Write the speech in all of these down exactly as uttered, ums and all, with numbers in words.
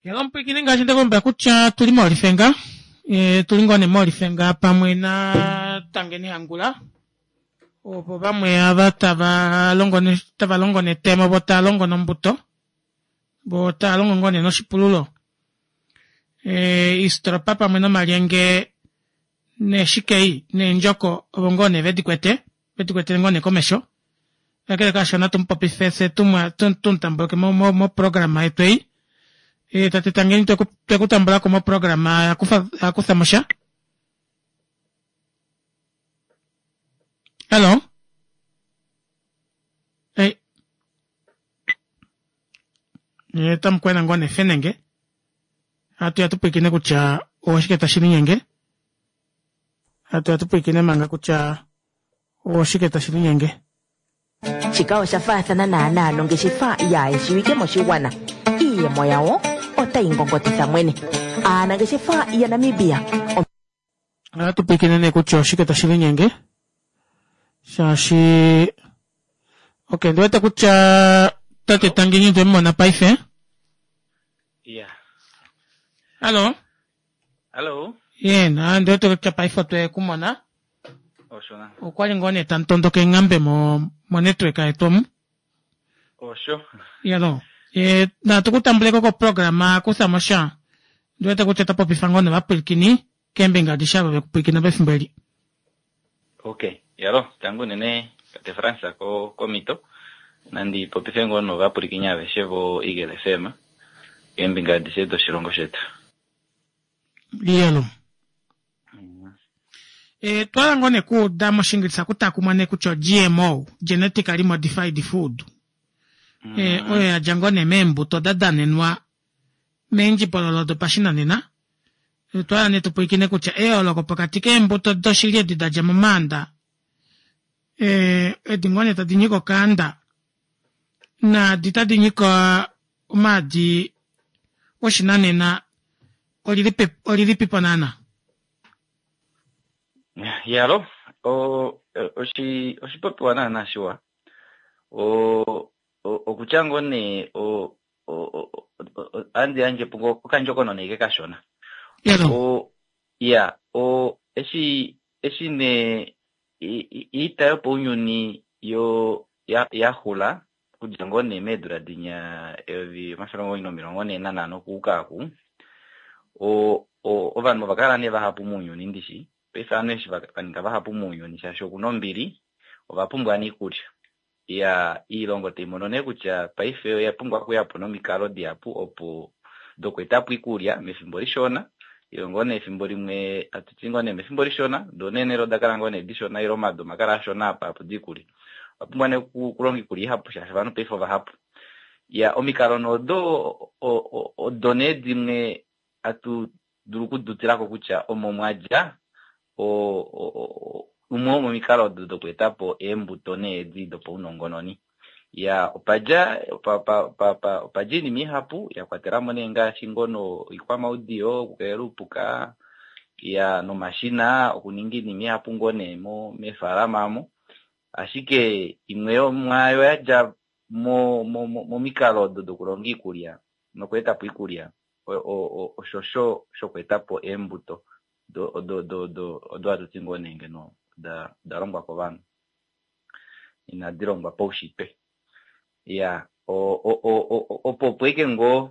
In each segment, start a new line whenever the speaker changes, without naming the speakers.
Hello mupwiikini ngaashi ndekulombwela kutya tuli moolifenga e, tuli ngoo nee moolifenga pamwe na Tangeni Hangula ovo vamwe ava tava longo ne, tava longo netemo vo tava longo nombuto vo tava longo ngoo nee noshipululo e, iistropa pamwe nomalyenge neeshikei neendjoko ovo ngoo nee vedikwete vedikwetele ngoo nee komesho kakele kaasho natu mupopife fye tumutambuleke moprograma yetu ei e, tate Tangeni twekutambulako moprograma yakufa mosha. Hello. Hey. Otamu kwena ngoo nee fenenge hatu ya tupwiikine kutya oshike tashi linyenge hatu ya tupwiikine manga kutya oshike tashi linyenge.
Shika osha faathana naanaa nongeshefa yaayeshiwike moshigwana. Iiyemo yawo otayi ngongotitha mwene. Aanangeshefa yaNamibia
ohatu pwiikine nee kutya oshike tashi linyenge shaashi ok ndi wete kutya tate Tangeni otwe mu mona paife.
Yeah.
Hallo.
Hallo.
Ye na ndi wete kutya paife otwe ku mona.
Osho na.
Okwali ngoo nee tamu tondoka eenghambe mo mo network yetu omu.
Osho.
Yalo. E, natu ku tambuleko koprograma kutha mo sha. Ndi wete kutya ota popifa ngoo novapwilikini keembinga adishe ava vekupwilikina pefimbo eli.
Ok. Yalo, tangu unene tate Frans ko komito. Nandi popife ngoo novapwilikini aveshe vo Eagle F M keembinga adishe doshilongo shetu.
Yalo. E, twala ngoo nee kuuda moshingilisa kutakumwa nee kutya G M O, genetically modified food. Mm. E, oyo yadja ngoo nee meembuto da danenwa meendjipololo dopashinanena. Twala nee tupwilikine kutya eyooloko pokati keembuto doshili edi da dja momaanda e, edi ngoo nee tadi nyika okaanda naadi tadi nyika omaadi oshinanena olilipipo naana.
Yalo, o oshi oshipopiwa naana shiwa. O okutya ngoo nee o andi yandje po ngoo okandjokonona ike kashona. O ya o eshi eshi nee iita yopaunyuni yo ya yaxula okudja ngoo nee meedula dinya eyovi omafele omugoyi nomilongo nhee nanhano okuuka oku o ovanhu ova kala nee vahapu mounyuni ndishi paife ovanhu eshi va ninga vahapu mounyuni shaashi okuna ombili ova pumbwa nee iikulya ya iilongo tai mono nee kutya paife oya pumbwa okuyapo nomikalo dihapu opo dokweetapo iikulya mefimbo lishona ile ngoo nee efimbo limwe atuti ngoo nee mefimbo lishona doo neenhele oda kala ngoo nee dishona ile omadu omakala ashona apa apo diikulya owa pumbwa nee okulonga iikulya ihapu shaashi ovanhu paife ovahapu ya omikalo nodo odo nee dimwe atu dulu okudutilako kutya omo mwadja umwe womomikalo odo dokweetapo eembuto needi dopaunongononi ya opadja opadja oinima ihapu ya kwatelamo nee ngaashi ngono oikwamaudiyo okukelela oupuka ya nomashina okuninga oinima ihapu ngoo nee meefalama omo ashike imwe yomwaayo yadja momikalo odo dokulonga iikulya nokweetapo iikulya oshosho shokweetapo eembuto odo hatu ti ngoo nee ngeno oda longwa kovanhu inadi longwa paushitwe ya opo opo ike ngoo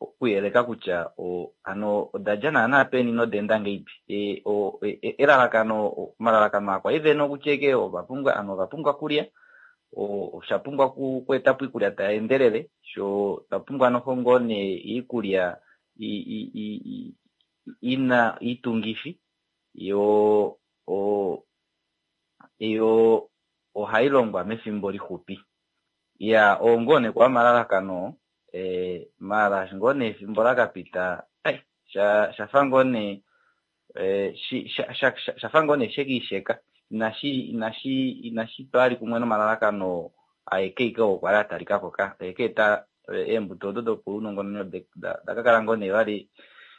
okuyeleka kutya hano oda dja naana peni noda enda ngahelipi elalakano omalalakano akwa ivene okutya ike ovapumbwa ovanhu ova pumbwa okulya osha pumbwa okweetapo iikulya tai endelele sho twa pumbwa noho ngoo nee iikulya ina iitungifi yo yo ohayi longwa mefimbo lixupi ya oo ngoo nee kwa malalakano e, maala ngoo nee efimbo lakapita shafa ngoo nee shafa ngoo nee shekiisheka inashi inashi inashi twali kumwe nomalalakano aeke ike oo kwali atalikako ka ekeeta eembuto odo dopaunongononi dakakala ngoo nee vali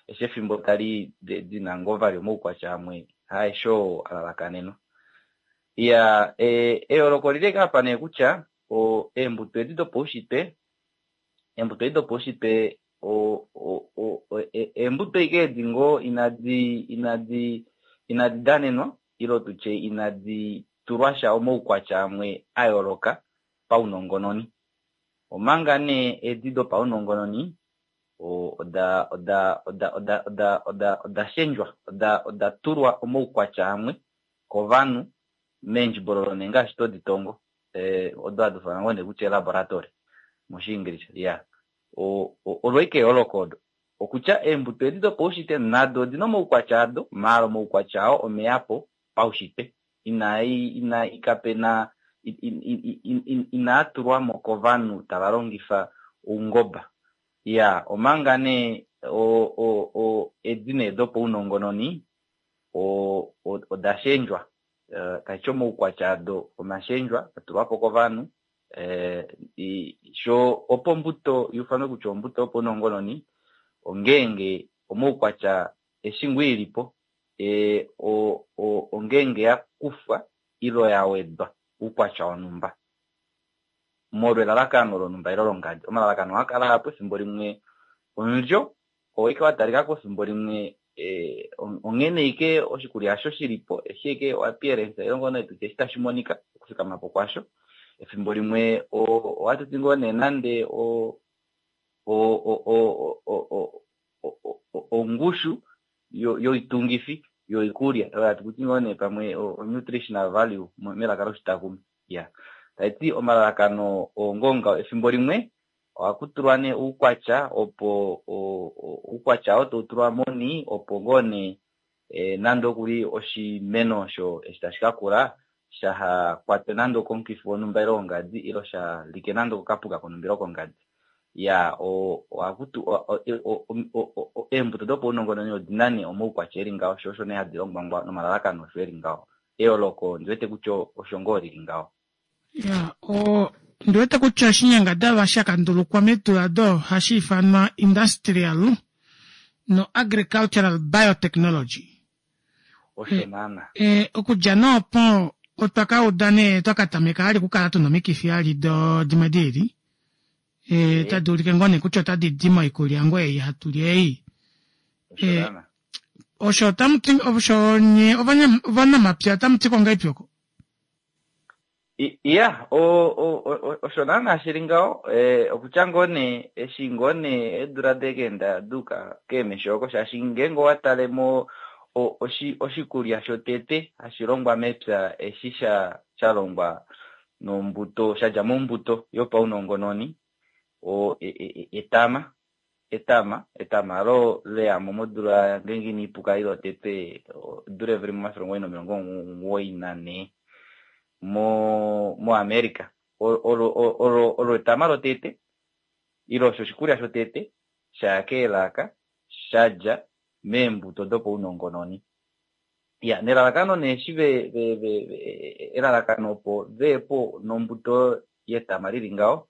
eshi efimbo tali dina ngoo vali omaukwatya amwe haesho oo alalakanenwa ya eyooloko olili apa nee kutya eembuto edi dopaushitwe eembuto edi dopaushitwe eembuto ike edi ngoo inadi inadi inadi danenwa ilo tutye inadi tulwa sha omaukwatya amwe a yooloka paunongononi. Omanga nee edi dopaunongononi oda oda oda oda oda oda oda shendjwa oda oda tulwa omaukwatya amwe kovanhu meendjibololo nee ngaashi todi tongo odo hadi ufanwa ngoo nee kutya laboratory moshiingilisha ya olo ike eyooloko odo okutya eembuto edi dopaushitwe nado odina omaukwatya ado maala omaukwatya ao omeyapo paushitwe inai ina kapena inaa tulwamo kovanhu tava longifa oungoba ya omanga nee o, o, o, edi nee dopaunongononi oda shendjwa uh, tashi omaukwatya ado omashendjwa atulwapo kovanhu eh, sho opo ombuto yufanwe kutya ombuto yopaunongononi ongeenge omaukwatya eshi ngoo ilipo e, o, o, ongeenge ya kufwa ilo ya wedwa oukwatya wonhumba molwa elalakano lonhumba ilo longadi. Omalalakano ohaa kala apo efimbo limwe omulyo oike wa talikako efimbo limwe e, onghene ike oshikulya asho shilipo eshi ike appearance ile ngoo nee tutye eshi tashi monika okufikamapo kwasho. Efimbo limwe ohatu ti ngoo nee nande o ongushu yoitungifi yoikulya oyo hatu kuti ngoo nee pamwe o-nutritional value melaka loshitakumi ya taiti omalalakano oongonga efimbo limwe ohaku tulwa nee oukwatya opo oukwatya oo tau tulwa moni opo ngoo nee nande okuli oshimeno osho eshi tashi ka kula shaha kwatwe nande okomukifi wonhumba ile wongadi ilo sha like nande okapuka konhumba ile kongadi ya ohakutu eembuto dopaunongononi odina nee omaukwatya eli ngaho sho osho nee hadi longwa nomalalakano osho eli ngaho. Eyooloko ndiwete kutya osho ngoo lili ngaho.
Ya o ndiwete kutya oshinyangadalwa sha kandulukwa meedula do hashi ifanwa industrial no agricultural biotechnology.
Osho naana.
E, okudja noopo otwa ka uda nee twa ka tameka ali okukala tuna omikifi ali do dimwe diili e, tadi ulike ngoo nee kutya otadi di moikulya ngoo ei hatu li ei.
E,
osho otamuti osho nye ovanamapya otamuti ko ngahelipi oko?
Iya osho naana shili ngaho okutya ngoo nee eshi ngoo nee eedula dekeenda duuka keemesho oko shaashi ngeenge owa tale mo oshikulya shotete hashi longwa mepya eshi sha sha longwa nombuto shadja mombuto yopaunongononi o etama etama etama alo leyamo modula ngeenge iniipuka ile tete odula eyovi limwe omafele omugoyi nomilongo omugoyi nanhee mo moAmerica olo olo olo etama lotete ile osho oshikulya shotete shaya keelaka shadja meembuto dopaunongononi. Ya nelalakano nee eshi ve, ve, ve, elalakano opo veyepo nombuto yetama lili ngaho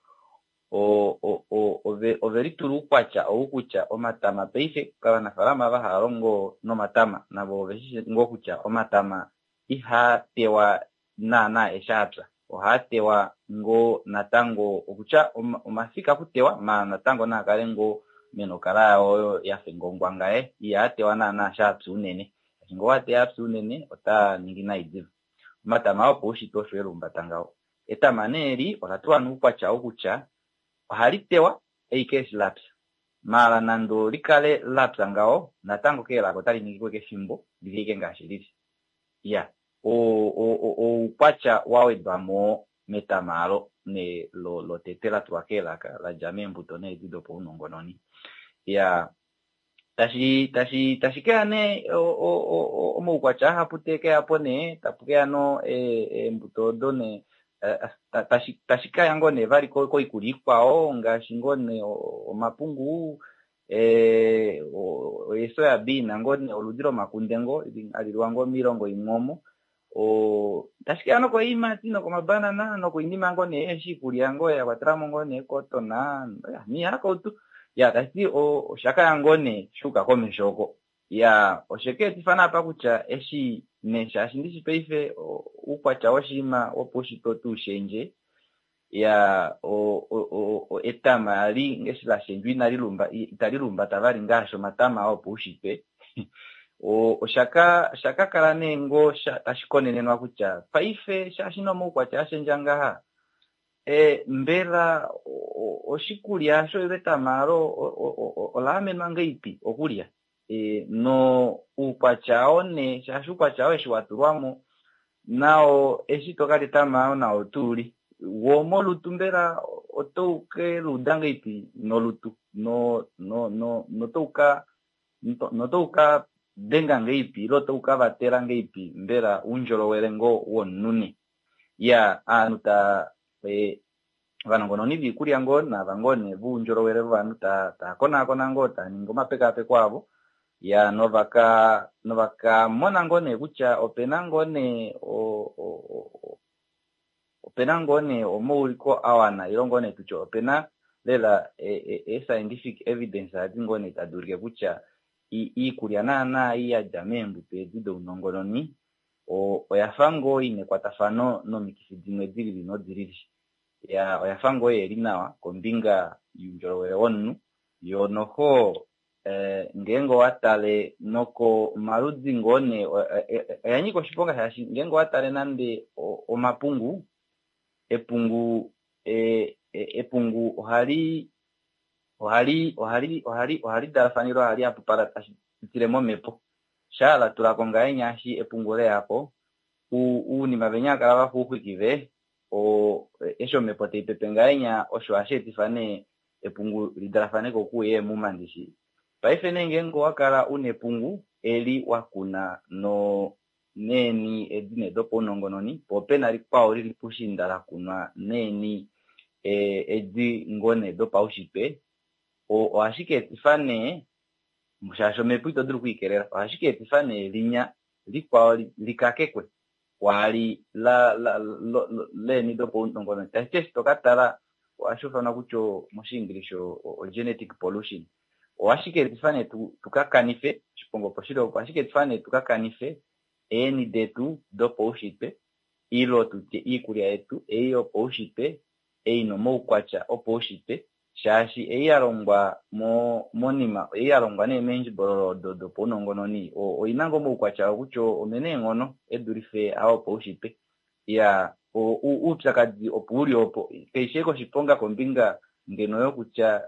ove ove litula oukwatya ou kutya omatama paife kovanafaalama ava hava longo nomatama navo oveshi ngoo kutya omatama ihaa tewa naana eshi apya ohaa tewa ngoo natango okutya omafika kutewa maala natango naa kale ngoo menokala yawo oyo yafa ngongwanga ye ihaa tewa naana shaapya unene. Shaashi ngoo wateya apya unene otaa ningi nai diva. Omatama opaushitwe osho elumbata ngaho. Etama nee eli ola tulwa noukwatya wokutya ohali tewa eike eshi lapya maala nande olikale lapya ngaho natango keelaka otali ningi kefimbo lili ike ngaashi lili. Ya oukwatya wa wedwamo metama alo ne lotete la tulwa keelaka ladja meembuto needi dopaunongononi. Ya tashi tashi tashi keya nee omaukwatya ahapu tekeyapo nee tapu keya no eembuto odo nee tashi tashi kaya ngoo nee vali koikulya ikwao ngaashi ngoo nee omapungu eesoya bean ngoo nee oludi lomakunde ngoo hali liwa ngoo miilongo imwe omo tashi keya nokoiimati nokomabanana nokoinima ngoo nee eshi ikulya ngoo ya kwatelamo ngoo nee cotton niihakautu ya tashiti oshakaya ngoo nee shuuka komesho oko. Ya oshekeetifa naapa kutya eshi nee shaashi ndishi paife oukwatya woshinima wopaushitwe otuushendje Ya o etama li ngeshi la shendjwa inali lumba itali lumbata vali ngaashi omatama opaushitwe. Oshaka shaka kala nee ngoo tashi konenenwa kutya paife shaashi nomaukwatya ashendja ngaha e, mbela oshikulya osho ile etama alo ola amenwa ngeipi okulya e, no uukwatya oo nee shaashi uukwatya oo eshi watulwamo nao eshi tokalya etama nao tuuli wo molutu mbela otou ke luuda ngeipi nolutu no no no notouka notouka denga ngeipi ile otau ka vatela ngeipi mbela oundjolowele ngoo womunhu ne ya aanhu ta e, ovanongononi viikulya ngoo nava ngoo nee voundjolowele vovanhu ta taa konaakona ngoo taa ningi omapekaapeko avo ya novaka novaka mona ngoo nee kutya opena ngoo nee opena ngoo nee omauliko awana ile ngoo nee tutye opena lela e-scientific evidence adi ngoo nee tadi ulike kutya iikulya naana ei yadja meembuto edi dounongononi oya fa ngoo ina ekwatafano nomikifi dimwe dilili nodilili ya oya fa ngoo yeli nawa kombinga youndjolowele womunhu yo noho eh, ngeenge owa tale noko omaludi ngoo nee oya nyika oshiponga shaashi ngeenge owa tale nande omapungu epungu e, epungu ohali ohali ohali ohali ohali dalafanilwa ohali hapupala tashi pitile momhepo shaa tulako ngahenya eshi epungu leyako uunima venya kala vafa ouxwikive eshi omhepo taipepe ngahenya osho hashi etifa nee epungu lidalafaneko okuuya eemuma ndishi paife nee ngeenge owakala una epungu eli wakuna no neeni edi nee dopaunongononi po opena likwao lili pushiinda lakunwa neeni edi ngoo nee dopaushitwe ohashi ka etifa nee shaashi omhepo ito dulu okwiikelela ohashi ka etifa nee linya likwao likakekwe kwaali leeni dopaunongononi tashi ti eshi toka tala ohashi ufanwa kutya moshiingilisha o-genetic pollution ohashi ka etifa nee tuka kanife oshiponga opo shili opo ohashi ka etifa nee tuka kanife eeni detu dopaushitwe ilo tutye iikulya yetu ei yopaushitwe ei nomaukwatya opaushitwe shaashi ei yalongwa monima ei yalongwa nee meendjibololo odo dopaunongononi oina ngoo omaukwatya kutya omena eenghono edulife aa opaushitwe ya oupyakadi opo uli opo kaishi ashike oshiponga kombinga ngeno yokutya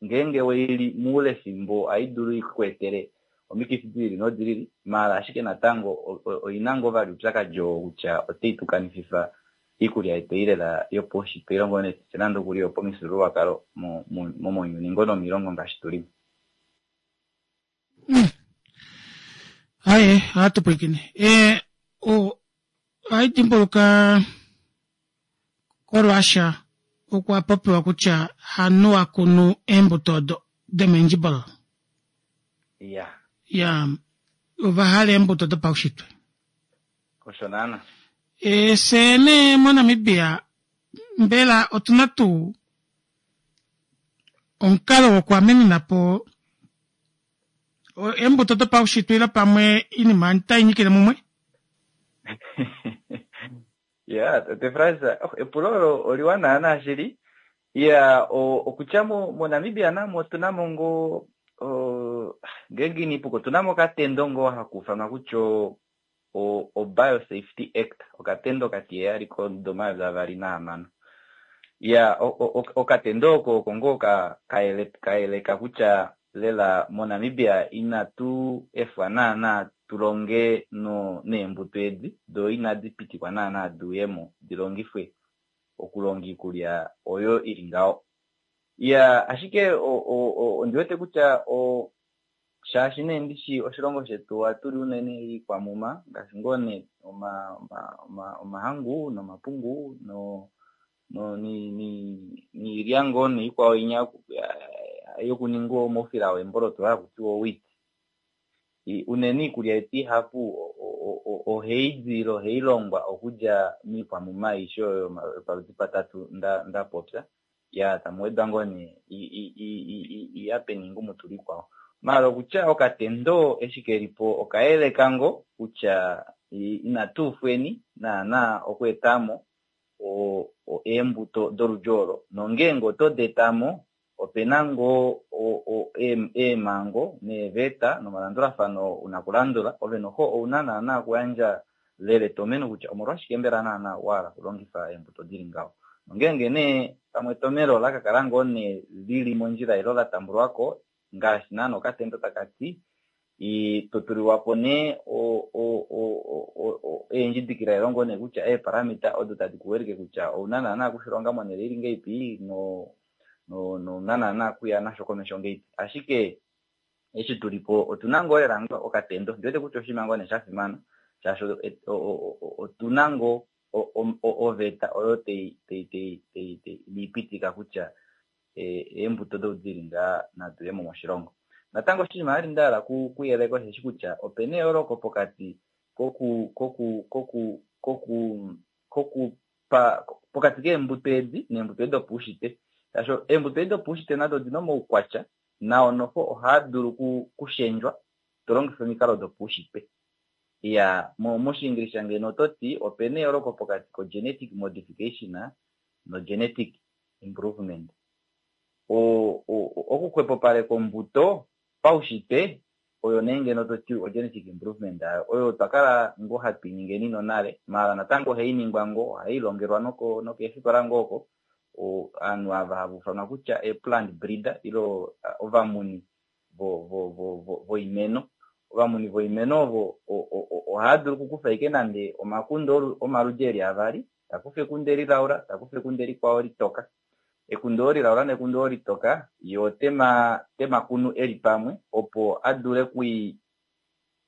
ngeenge weili moule fimbo ohai dulu ikweetele omikifi dilili nodilili maala ashike natango oina ngoo vali oupyakadi oo kutya otai tukanififa iikulya yetu ei lela yopaushitwe ile ngoo nee tutye nande okuli yopamifyuululwakalo momounyuni ngoo nomilongo ngaashi tuli.
Aye, ohatu pwilikine. E, ohai dimbuluka koRussia okwa popiwa kutya hanhu akunu eembuto odo domendjibololo.
Ya.
Ya, ova hala eembuto dopaushitwe.
Osho naana.
E, fye nee moNamibia mbela otuna tuu omukalo wokuamenena po eembuto dopaushitwe ile pamwe iinima otai nyikile mumwe?
Ya, tate Frans, oh, epulo olo oliwa naana shili. Ya, okutya moNamibia namo otuna mo ngoo ngeenge iniipuka otuna mo okatendo ngoo haku ufanwa kutya o-Biosafety Act, okatendo okatiheyali komudo omayovi avali nahamano. Ya, okatendo oko oko ngoo kayeleka kutya lela moNamibia inatu efwa naana tulonge neembuto edi doo inadi pitikwa naana diuyemo dilongifwe okulonga iikulya oyo ili ngaho. Ya, ashike ondiwete kutya shaashi nee ndishi oshilongo shetu ohatuli unene iikwamuma ngaashi ngoo nee omahangu nomapungu niilya ngoo niikwao inya yokuninga omaufila weemboloto haku tiwa owheat. Unene iikulya yetu ihapu ohai di ohai longwa okudja miikwamuma aishe oyo yopaludi patatu nda popya. Ya tamu wedwa ngoo nee iyape niingumutulu ikwao. Maala okutya okatendo eshi kelipo okayeleka ngoo kutya inatu ufweni naana okweetamo eembuto doludi olo nongeenge oto di etamo opena ngoo eemhango neeveta nomalandulafano una kulandula ove noho ouna naana okuyandja lela etomeno kutya omolwashike mbela naana wahala okulongifa eembuto dili ngaho. Nongeenge nee pamwe etomelo ola kakala ngoo nee lili mondjila ile la tambulwako ngaashi naana okatendo takati totulilwapo nee eendjidikila ile ngoo nee kutya eeparamita odo tadi kuwilike kutya ouna naana okushilonga monhele ili ngeipi no nouna naana okuya nasho komesho ngeipi. Ashike eshi tulipo otuna ngoo lela okatendo ndiwete kutya oshinima ngoo nee shafimana shaashi otuna ngoo oveta oyo teipitika kutya eembuto doudili ngaa nadu yemo moshilongo. Natango oshinima vali nda hala kuyeleka osheshi kutya opena eyooloko pokati koku koku koku koku kokupa pokati keembuto edi neembuto edi dopaushitwe. Shaashi eembuto edi dopaushitwe nado odina omaukwatya nao noho ohaa dulu kushendjwa to longifa omikalo dopaushitwe. Iya moshiingilisha ngeno ototi opena eyooloko pokati ko genetic modification no genetic improvement. Okuxwepopaleka ombuto paushitwe oyo nee ngeno toti o-genetic improvement oyo twakala ngoo hatu iningeni nonale maala natango ohai ningwa ngoo ohai longelwa nokeefikola ngoo oko ovanhu ava hava ufanwa kutya e-plant breeder ile ovamuni voimeno. Ovamuni voimeno ovo ohava dulu okukufa ashike nande omakunde omaludi eli avali, takufa ekunde lilaula, takufa ekunde likwao litoka. Ekunde olo lilaula nekunde olo litoka ye otema kunu eli pamwe opo adule kui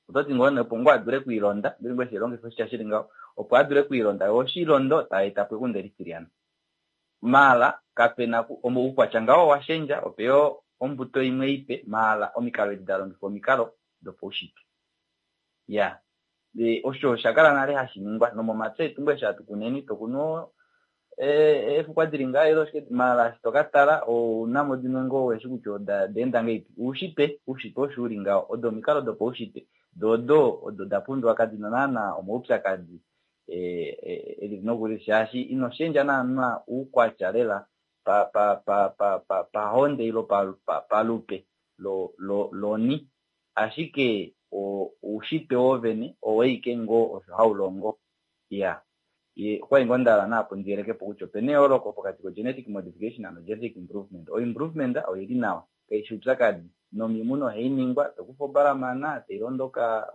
ototi ngoo nee opo ngoo adule okwiilonda mbili ngoo eshi longifa oshitya shili ngaho opo adule okwiilonda ye oshilondo taeta po ekunde litilyana. Maala kapena oukwatya ngaho owashendja opeya ombuto imwe ipe maala omikalo edi dalongifwa omikalo dopaushitwe. Iya osho oshakala nale hashi ningwa nomomapya etu ngoo eshi hatu kuneni tokunu eefukwa dili ngaho ile oshike maala eshi tokatala ounamo dimwe ngoo weshi kutya oda enda ngahelipi. Oushitwe oushitwe osho uli ngaho odo omikalo dopaushitwe doo odo odo da pumbiwa kadina naana omaupyakadi elili nokulili shaashi ino shendja naana oukwatya lela pahonde ile palupe loni ashike oushitwe wovene owaike ngoo osho haulongo. Iya okwali ngoo ndahala naapo ndiyelekepo kutya opena eyooloko pokati ko genetic modification no genetic improvement. O-improvement oili nawa kaishi oupyakadi nomimuno ohai ningwa tokufa obalamana tailondoka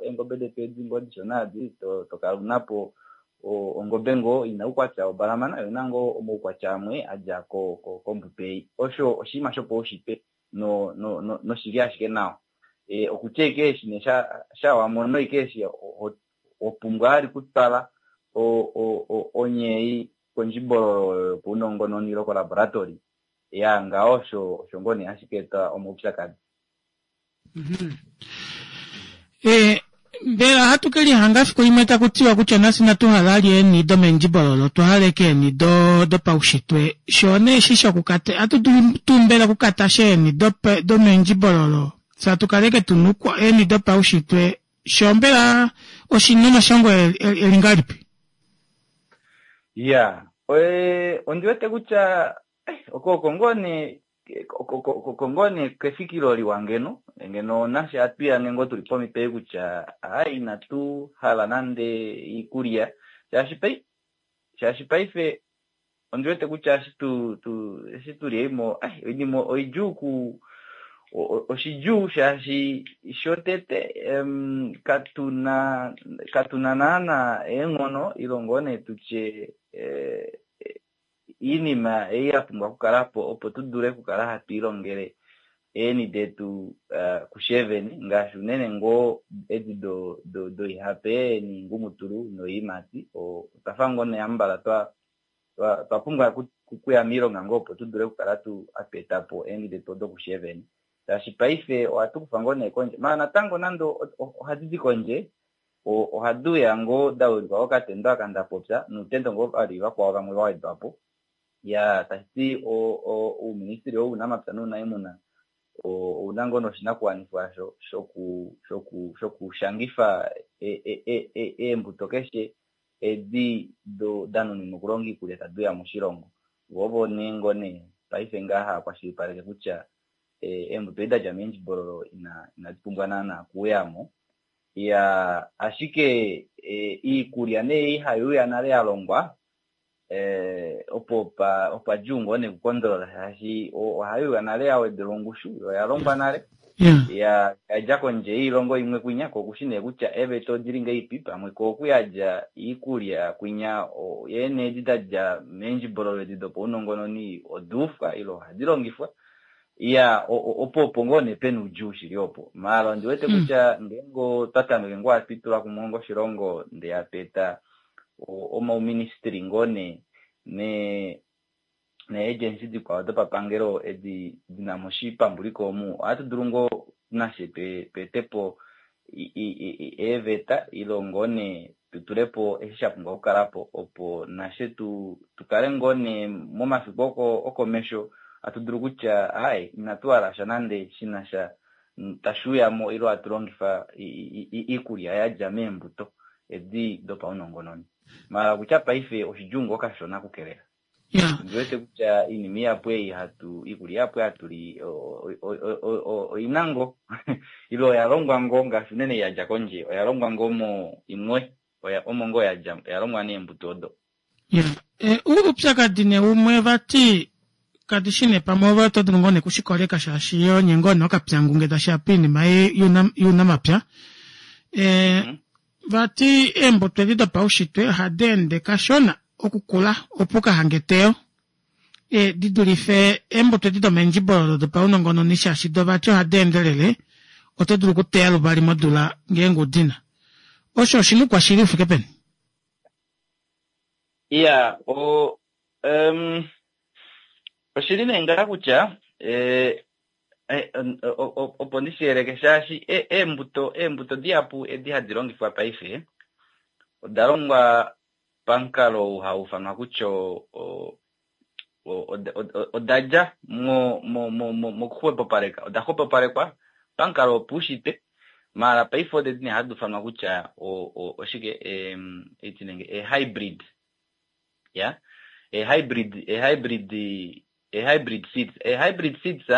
eengobe detu edi ngoo dishona edi tokala unapo ongobe ngoo ina oukwatya wobalamana yo oina ngoo omaukwatya amwe adja kombuto ei. Osho oshinima shopaushitwe noshili ashike nawa. Okutya ashike eshi nee shawamono ashike eshi opumbwa vali okutwala onyeyi kondjibololo yopaunongononi ile kolaboratory ya ngaho osho osho ngoo nee hashi ka eta omaupyakadi.
Mbela ohatu kelihanga efiku limwe taku tiwa kutya nafye inatu hala vali eeni domendjibololo otwa hala ashike eeni dopaushitwe. Shoo nee eshi shokukata ohatu dulu tuu mbela okukatasha eeni domendjibololo fye hatu kala ashike tuna eeni dopaushitwe shoo mbela oshina omashongo eli ngahelipi?
Iya ondi wete kutya oko ngoo nee oko ngoo nee kefikilo liwa ngeno ngeno nafye hatu ngoo tuli pomhito ei kutya ai inatu hala nande iikulya shaashi shaashi paife ondi wete kutya eshi tu eshi tuli eimo oinima oidjuu ku oshidjuu shaashi shotete katuna katuna naana eenghono ile ngoo nee tutye iinima ei ya pumbwa okukalapo opo tu dule okukala hatu ilongele eeni detu kusheveni ngaashi unene ngoo edi doihape noingumutulu noiimati otwafa ngoo nee hambala twa twa pumbwa okuya miilonga ngoo opo tu dule okukala hatu etapo eeni detu odo kusheveni. Shaashi paife ohatu kufa ngoo nee kondje maala natango nande ohadi di kondje ohadi uya ngoo da wilikwa kokatendo aka ndapopya noutendo ngoo vali vakwao vamwe va wedwapo. Ya tashiti ouministili wounamapya nounaimuna ouna ngoo noshinakuwanifwa shokushangifa eembuto keshe edi danuninwa okulonga iikulya tadi uya moshilongo. Vo ovo nee ngoo nee paife ngaha haakwashilipaleke kutya eembuto edi dadja meendjibololo inadi pumbwa naana okuuyamo. Iya ashike iikulya nee ihaiuya nale yalongwa opo opa djuu ngoo nee okukondolola shaashi ohaiuya nale yawedelwa ongushu yo oyalongwa nale ya yadja kondje yoilongo imwe kwinya ko okushi nee kutya eeveta odili ngahelipi pamwe ko okuyadja iikulya kwinya yeene edi dadja meendjibololo edi dopaunongononi oduufwa ile ohadi longifwa. Iya opo opo ngoo nee pena oudjuu shili opo. Maala ondi wete kutya ngeenge otwa tameke ngoo hatu itula kumwe onga oshilongo ndee hatu eta omauministry ngoo nee ne nee-agency dikwao dopapangelo edi dina mo oshipambuliko omu ohatu dulu ngoo nashe tweetepo eeveta ile ngoo nee tutulepo eshi shapumbwa okukalapo opo nashe tukale ngoo nee momafiku okomesho hatu dulu kutya ai inatu hala nande shinasha tashiuyamo ile hatu longifa iikulya yadja meembuto edi dopaunongononi. Maala kutya paife oshidjuu ngoo kashona okukelela. Ondi wete kutya iinima ihapu ei hatu iikulya ihapu hatu li oina ngoo ile oya longwa ngoo ngaashi unene yadja kondje oya longwa ngoo mo imwe omo ngoo yadja oya longwa neembuto odo.
Oupyakadi nee umwe vati kadi shi nee pamwe ove oto dulu ngoo nee kushikoleka shaashi onye ngoo nee okapyangu ngee tashiya poinima younamapya. Vati eembuto edi dopaushitwe ohadi ende kashona okukula opo ukahange eteyo di dulife eembuto edi domeendjibololo dopaunongononi shaashi do vati ohadi endelele oto dulu okuteya luvali modula ngeenge udina. Osho oshina oukwashili ufike peni?
Iya o oshili nee ngaha kutya opo ndishiyeleke shaashi eembuto eembuto dihapu edi hadi longifwa paife oda longwa pamukalo ou hau ifanwa kutya odadja mokuxwepopaleka oda xwepopalekwa pamukalo wopaushitwe maala paife odedi nee hadi ifanwa kutya oshike ee-hybrid ya ee-hybrid ee-hybrid ee-hybrid seeds ee-hybrid seeds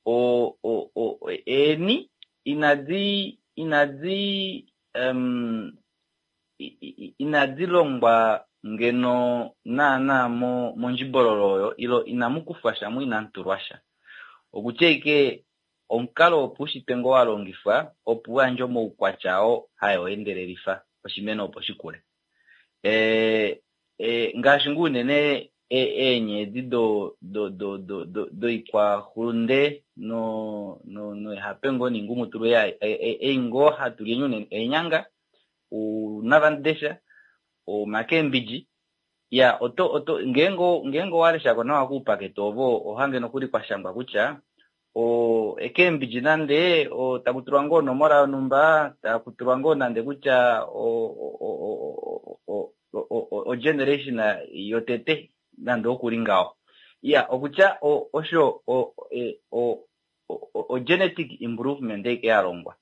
o o eeni inadi inadi inadi longwa ngeno naana mondjibololo oyo ile inamu kufwa sha mo inamu tulwa sha. Okutya ashike omukalo wopaushitwe ngoo wa longifwa opo uyandje omaukwatya oo haa endelelifa oshimeno opo shikule. Ngaashi ngoo unene eenye edi doikwahulunde noihape ngoo noingumutulu ei ngoo hatu li unene eenyanga, ounawamundesha, omakembidji ya oto oto ngeenge ngeenge owaleshako nawa kuupakete ovo ohange nokuli kwashangwa kutya o ekembidji nande takutulwa ngoo onomola yonhumba takutulwa ngoo nande kutya o generation yotete nande okuli ngaho. Iya okutya osho o genetic improvement eike yalongwa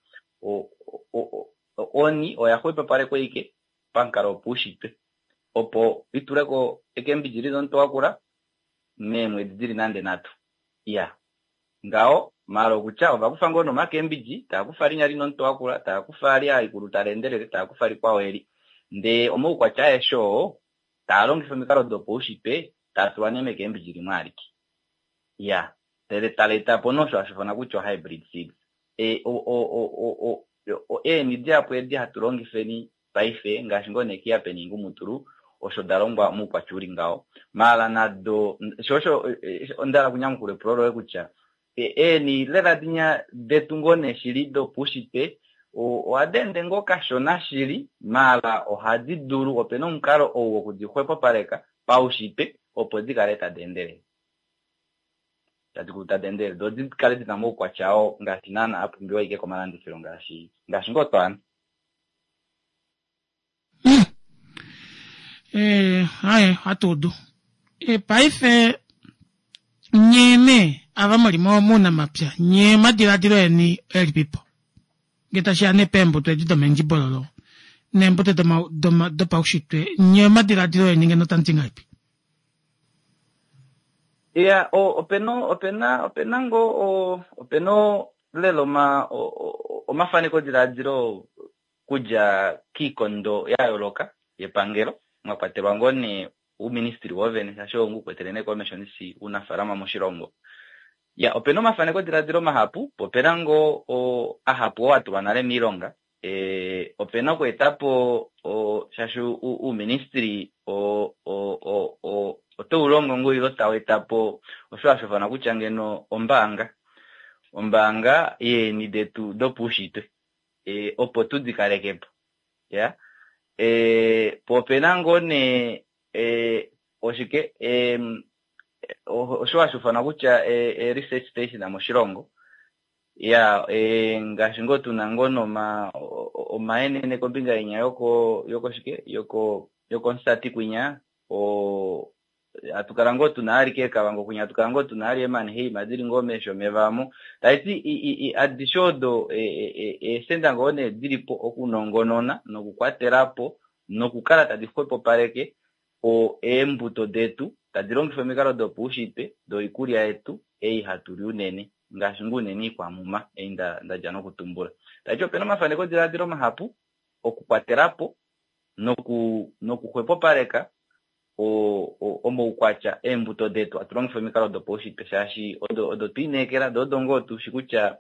oni oya xwepopalekwa ike pamukalo wopaushitwe opo ituleko ekembidji lina omutwe wakula meemwedi dili nande nhatu. Iya ngaho maala okutya ovakufa ngoo nomakembidji taakufa linya lina omutwe wakula taakufa ali alikulu tali endelele taakufa likwao eli ndee omaukwatya aeshe oo taa longifa omikalo dopaushitwe taa tulwa nee mekembidji limwe alike. Iya ndele tali etapo nee osho hashi ifanwa kutya o-hybrid seeds. Eeni dihapu edi hatu longifeni paife ngaashi ngoo nee kihape noingumutulu osho da longwa moukwatya uli ngaho. Maala nado sho osho onda hala okunyamukula epulo loye kutya eeni lela dinya detu ngoo nee shili dopaushitwe ohadi ende ngoo kashona shili maala ohadi dulu opena omukalo ou wokudi xwepopaleka paushitwe opo dikale tadi endelele. Tadi kulu tadi endelele doo dikale dina omaukwatya oo ngaashi naana apumbiwa ashike komalandifilo ngaashi ngaashi ngoo twaana.
Aye ohatu udu. Paife nyee nee ava muli muunamapya nyee omadilaadilo eni elipipo ngee tashiya nee peembuto edi domendjibololo neembuto dopaushitwe nye omadiladilo eni ngeno tamu ti ngahelipi?
Iya, opena opena opena ngoo opena lela oma omafanekodiladilo kudja kiikondo ya yooloka yepangelo mwa kwatelwa ngoo nee uuministry wovene shaashi oo ngu kwetele nee komesho nisi uunafaalama moshilongo. Ya, opena omafanekodiladilo mahapu, po opena ngoo ahapu oo atulwa nale miilonga. E, opena okweetapo shaashi uuministry otau longo ngoo ilo tau etapo osho hashi ifanwa kutya ngeno ombaanga. Ombaanga yeeni detu dopaushitwe e, opo tudi kalekepo. Ya. E, po opena ngoo nee e, oshike e, osho hashi ifanwa kutya e, research station moshilongo. Ya, e, ngaashi ngoo tuna ngoo noma omaenene kombinga yenya yoko yoko shike yoko yokomusati kwinya o hatu kala ngoo tuna alike Kavango kwinya hatu kala ngoo tuna ali eManheim dili ngoo meesho omeva amo taiti adishe odo eesenda ngoo nee dilipo okunongonona nokukwatelapo nokukala tadi xwepopaleke eembuto detu tadi longifa omikalo dopaushitwe doikulya yetu ei hatu li unene ngaashi ngoo unene iikwamuma ei ndadja nokutumbula. Taiti opena omafanekodiladilo mahapu okukwatelapo noku nokuxwepopaleka omaukwatya eembuto detu hatu longifa omikalo dopaushitwe shaashi odo odo twiineekela do odo ngoo tushi kutya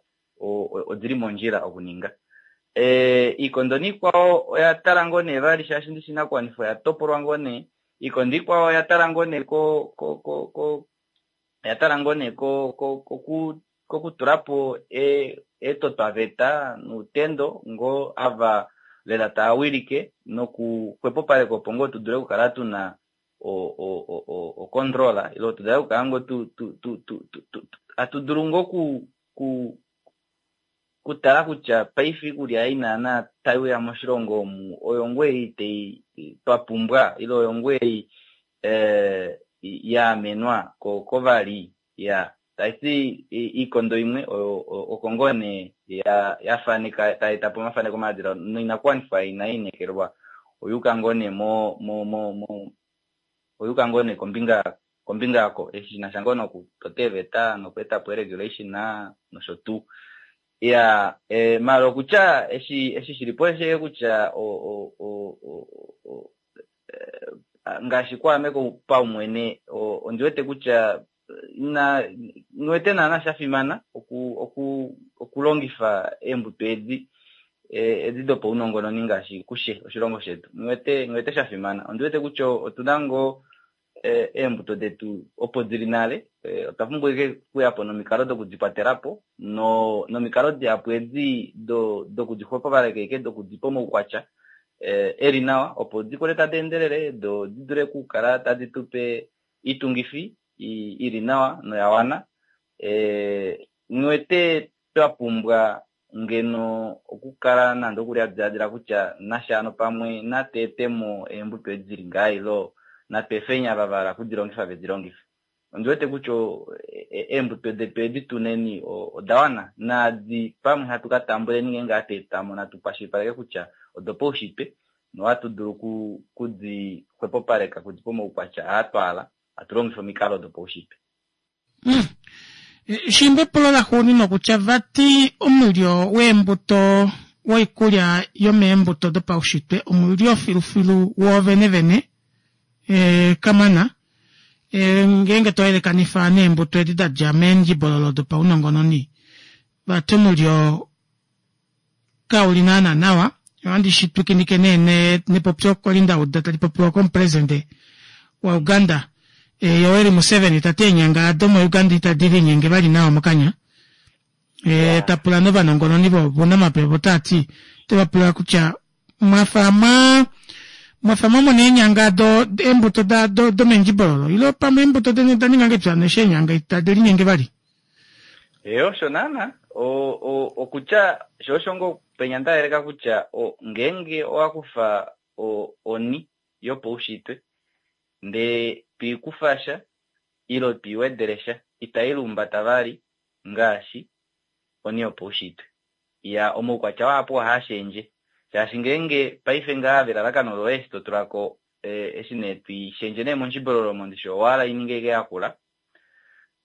odili mondjila okuninga. E, iikondo niikwao oya tala ngoo nee vali shaashi ndishi inakuwanifwa oya topolwa ngoo nee. Iikondo ikwao oya tala ngoo nee ko ko ko ko oya tala ngoo nee ko ko koku kokutulapo etotwaveta nuutendo ngoo ava lela taa wilike nokuxwepopaleka opo ngoo tu dule okukala tuna o control ilo tu dule okukala ngoo tu tu tu tu hatu dulu ngoo ku ku kutala kutya paife iikulya ei naana tai uya moshilongo omu oyo ngoo ei tai twa pumbwa ile oyo ngoo ei ya amenwa kovali ya taiti iikondo imwe oko ngoo nee ya faneka tai etapo omafaneko omaladilo noinakuwanifwa inai inekelwa oyuuka ngoo nee mo mo mo mo oyuuka ngoo nee kombinga kombinga yako eshi shinasha ngoo nokutota eeveta nokweetapo regulation nosho tuu. Ya, e, mala okutya eshi eshi shilipo oshe kutya o o o o ngaashi kwaame paumwene ondi wete kutya ina nghiwete naana sha fimana oku oku okulongifa eembuto edi edi dopaunongononi ngaashi kushe oshilongo shetu. Nghiwete nghiwete sha fimana. Ondi wete kutya otuna ngoo eembuto detu opo dili nale, otwa pumbwa ashike okuyapo nomikalo dokudikwatelapo no nomikalo dihapu edi dokudixwepopaleka ashike dokudipa omaukwatya eli nawa opo dikule tadi endelele do di dule okukala tadi tupe iitungifi ili nawa noya wana. Nghiwete twa pumbwa ngeno okukala nande okuli hatu kutya nasha pamwe natu etemo eembuto edi dili ngaha ilo natu efeni ava vahala okudilongifa vedilongife. Ondi wete kutya eembuto detu edi tuneni oda wana naadi pamwe hatu ka tambuleni ngeenge hatu etamo natu kwashilipaleke kutya odopaushitwe nohatu dulu kudi xwepopaleka kudipa omaukwatya aa twahala hatu longifa omikalo dopaushitwe.
Shimba epulo laxuuninwa kutya vati omulyo weembuto woikulya yomeembuto dopaushitwe omulyo filufilu woovene vene e, kamana e, ngeenge to yelekanifa neembuto edi dadja meendjibololo dopaunongononi vati omulyo kauli naana nawa. Ohandi shi twikinike nee nepopyo kwali ndauda tali popiwa komupresidente wa Uganda e, Yoweri Museveni tati eenyanga domo Uganda itadi linyenge vali nawa mokanya. E, tapula novanongononi vounamapya tati teva kutya mwafa mwa mwafa mwamona eenyanga do eembuto da do domendjibololo ilo pamwe eembuto deni oda ninga ngepya neshi eenyanga itadi linyenge vali.
Eyo osho naana okutya sho osho ngoo penya ndayeleka kutya ngeenge owakufa oni yopaushitwe ndee twiikufa sha ilo twiiwedele sha itai lumbata vali ngaashi oni yopaushitwe. Ya omaukwatya wahapu ohaashendje Shaashi ngeenge paife ngaa velalakano loye eshi to tulako eshi nee twiishendje nee mondjibololo mondishi owahala ininge ike yakula.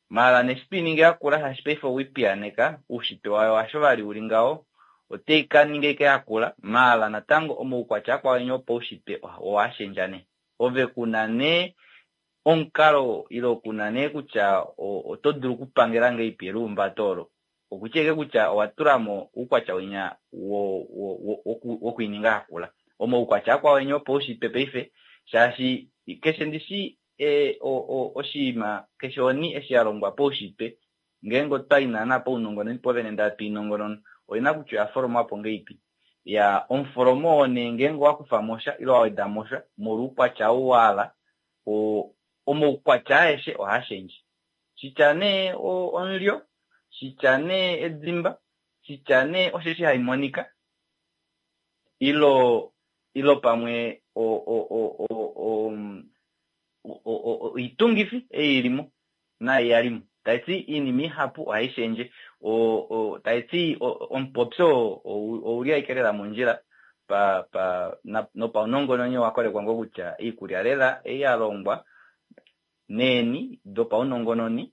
Maala neshi twiiningi yakula shaashi paife owiipiyaneka uushitwe wayo hasho vali uli ngaho otai kaninga ike yakula maala natango omaukwatya akwao enya opaushitwe owashendja nee. Ove kuna nee omukalo ile kuna nee kutya oto dulu okupangela ngahelipi elihumbato olo. Okutya ike kutya owa tulamo oukwatya winya wokwiininga yakula. Omaukwatya akwao enya opaushitwe paife shaashi keshe ndishi oshinima keshe oni eshi yalongwa paushitwe ngeenge otwayi naana paunongononi povene ndee hatu oina kutya oya folomwapo ngahelipi. Ya omufolomo oo nee ngeenge owakufamo sha ile wawedamo sha molwa oukwatya ou wahala omaukwatya aeshe ohaashendje. Shitya nee omulyo, shitya nee edimba, shitya nee osheshi haimonika ilo ilo pamwe oitungifi ei ilimo naai yalimo. Taiti iinima ihapu ohayi shendje. Taiti omupopyo ouli ashike lela mondjila pa pa nopaunongononi owakolekwa ngoo kutya iikulya lela ei yalongwa neeni dopaunongononi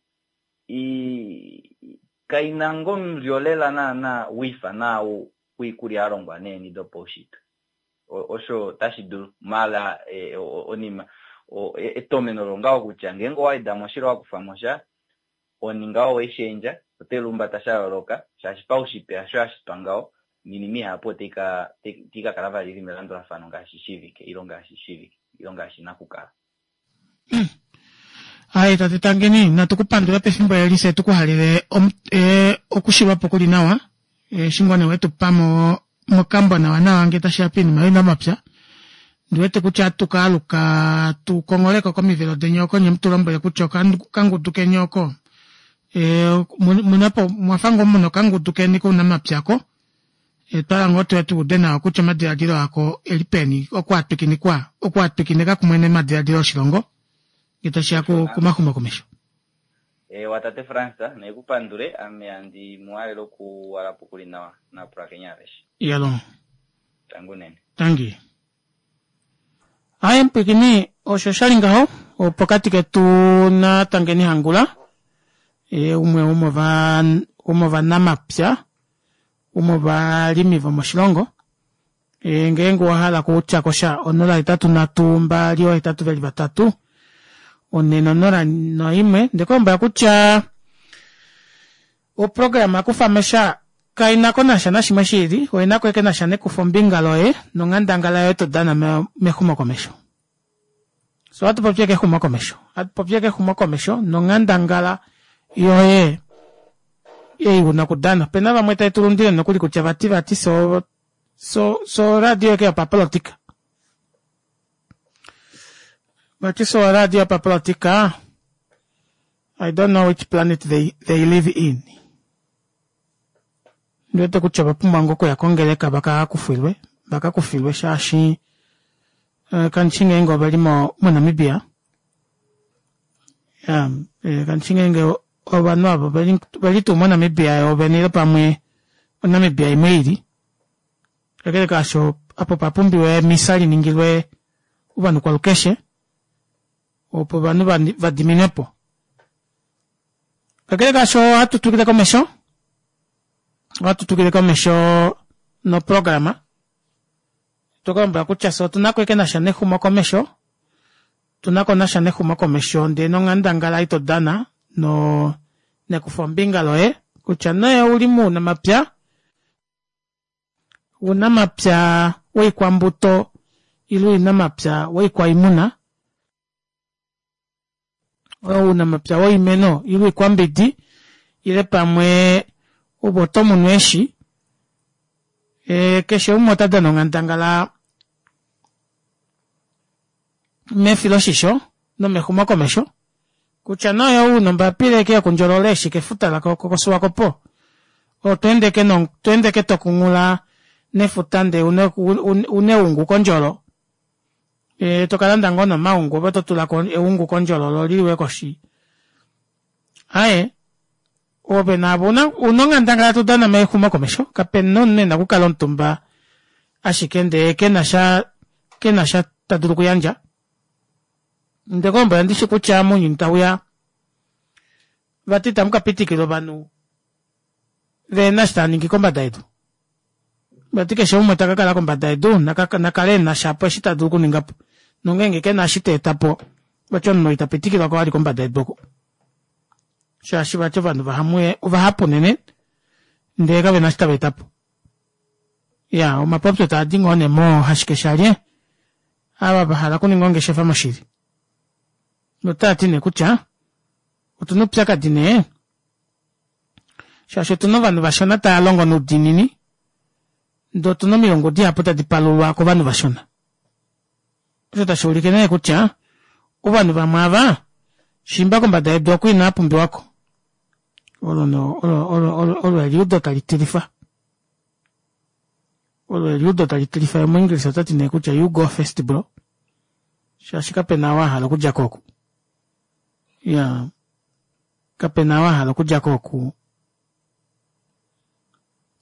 kaina ngoo omulyo lela naana wiifa naau wiikulya yalongwa neeni dopaushitwe. Osho tashi dulu maala onima etomeno longaho kutya ngeenge owawedamo sha ile wakufamo sha oninga oweishendja ote lumbata sha yooloka shaashi paushitwe hasho yashitwa ngaho niinima ihapu otai ka kala vali ili melandulafano ngaashi shiivike ile ngaashi shiivike ile ngaashi ina okukala.
Ai tate Tangeni natu kupandula pefimbo eli fye tukuhalele okushilwapo kuli nawa eshi ngoo nee wetupa mokambo nawa nawa ngee tashiya poinima younamapya. Ndiwete kutya ohatu kaaluka tukongholeko komivelo deni oko nye mutulombwele kutya okangudu keni oko omwafa ngoo muna okangudu keni kounamapya oko otwahala ngoo tuye tuude nawa kutya omadilaadilo ako eli peni oku atwikinikwa oku atwikinika kumwe nomadilaadilo oshilongo ngee tashiya komaxumokomesho.
Ewa tate Frans naikupandule ame handi muhalele okuwalapo kuli nawa napulakeni aveshe.
Iyalo.
Tangi unene.
Tangi. Aaye mupwiikini osho shali ngaho pokati ketu na Tangeni Hangula umwe womovanamapya womovalimi vomoshilongo ngeenge owahala okutyakosha onola hetatu nhatu mbali oohetatu veli vatatu onhe nonola noimwe ndekulombwela kutya oprograma kufamosha kainakonasha nashimwe shiili oinako ashike nasha nekufombinga loye nonghandangala yoye todana mexumokomesho. So ohatu popi ashike exumokomesho ohatu popi ashike exumokomesho nonghandangala yoye ei una okudana. Opena vamwe tave tulundile nokuli kutya vati vati so so so oradio yeke yopapolitika vati so oradio yopapolitika. I don't know which planet they, they live in. Ndiwete kutya ovapumbwa ngoo okuya kongeleka vakakufilwe vakakufilwe shaashi kandishi ngeenge oveli moNamibia kandishi ngeenge ovanhu ava oveli tuu moNamibia yoovene ile pamwe oNamibia imwe ili. Kakele kaasho apo opapumbiwa emisa liningilwe ovanhu kwalukeshe opo ovanhu vadiminwepo. Kakele kaasho ohatu twikile komesho ohatu twikile komesho noprograma tokalombwela kutya fye otunako ashike nasha nexumokomesho otunako nasha nexumokomesho ndee nonghandangala ei todana no nekufombinga loye kutya nee ouli mounamapya ounamapya woikwambuto ile ounamapya woikwaimuna ounamapya woimeno ile oikwambidi ile pamwe ove otomunu eeshi keshe umwe ota dana onghandangala mefiloshisho nomexumokomesho kutya nee ou una ombapila ashike yokundjolola eeshi kefuta koSwakopo otweende ashike tokunghula nefuta ndee una eungu kondjolo tokalanda ngoo nee omaungu ove totulako eungu kondjolo loo liliwe koshi. Aaye ove naave una onghandangala todana mexumokomesho kapena omunhu ena okukala omutumba Ashike ndee kenasha kenasha tadulu okuyandja. Ndee kolombwela ndishi kutya mounyuni tauya vati ita mukapitikilwa ovanhu vehena eshi taaningi kombada yedu. Vati keshe umwe takakala kombada yedu nakale enashapo eshi tadulu okuningapo nongenge kena eshi teetapo vati omunhu oo itapitikilwako vali kombada yedu oku. Shaashi vati ovanhu ovahapu unene ndee kavena eshi tavaetapo. Iyaa omapopyo taadi ngoo nee moo hashikeshalye ava vahala okuninga ongeshefa moshili notaati nee kutya otuna oupyakadi nee shaashi otuna ovanhu vashona tavalongo noudiinini ndee otuna omilungu dihapu tadi palulwa kovanhu vashona. Osho tashuulike nee kutya ovanhu vamwe aava shiimba kombada yedu oku inavapumbiwako. Olo olo olo eliudo tali tilifa. Olo eliudo tali tilifa yee omuenglisa otati nee kutya you go first bro shaashi kapena ou ahala okudjako oku. Iyaa kapena ou ahala okudjako oku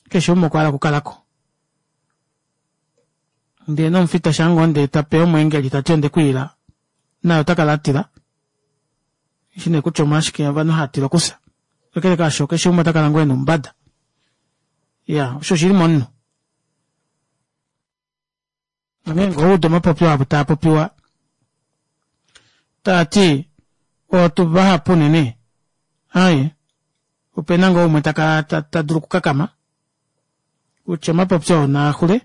keshe umwe okwahala okukalako. Ndee nomufita shaangoo ndee tape omweengeli tati ondekwiila naye otakala atila eshi nee kutya omolwashike ovanhu haatila okufya. Kakele kaasho keshe umwe otakala ngoo ena oumbada. Iyaa osho oshili momunhu. Onghee ngee owaudu omapopyo avo taapopiwa taati otu vahapu unene aaye opena ngoo umwe takala tadulu okukakama kutya omapopyo oo naaxule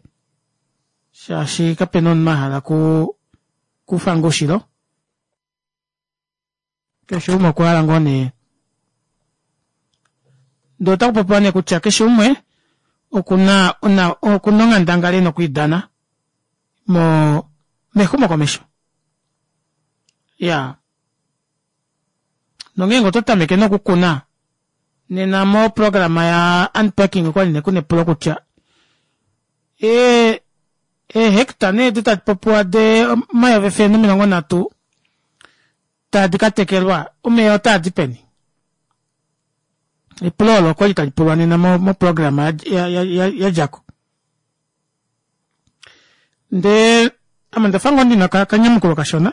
shaashi kapena omunhu ahala okuu okufa ngoo ushilo. Keshe umwe okwahala ngoo nee ndee otakupopiwa nee kutya keshe umwe okuna okuna onghandangala ena okwiidana moo mexumokomesho. Iyaa nongeenge oto tameke nee okukuna nena mo programa ya unpacking okwali nee kuna epulo kutya ee ee hectare nee edi tadipopiwa dee omayovi efele nomilongo nhatu tadi katekelwa omeva otaadi peni? Epulo olo okwali talipulwa nena mo programa yadjako. Ndee ame ondafa ngoo ndina okanyamukulo kashona.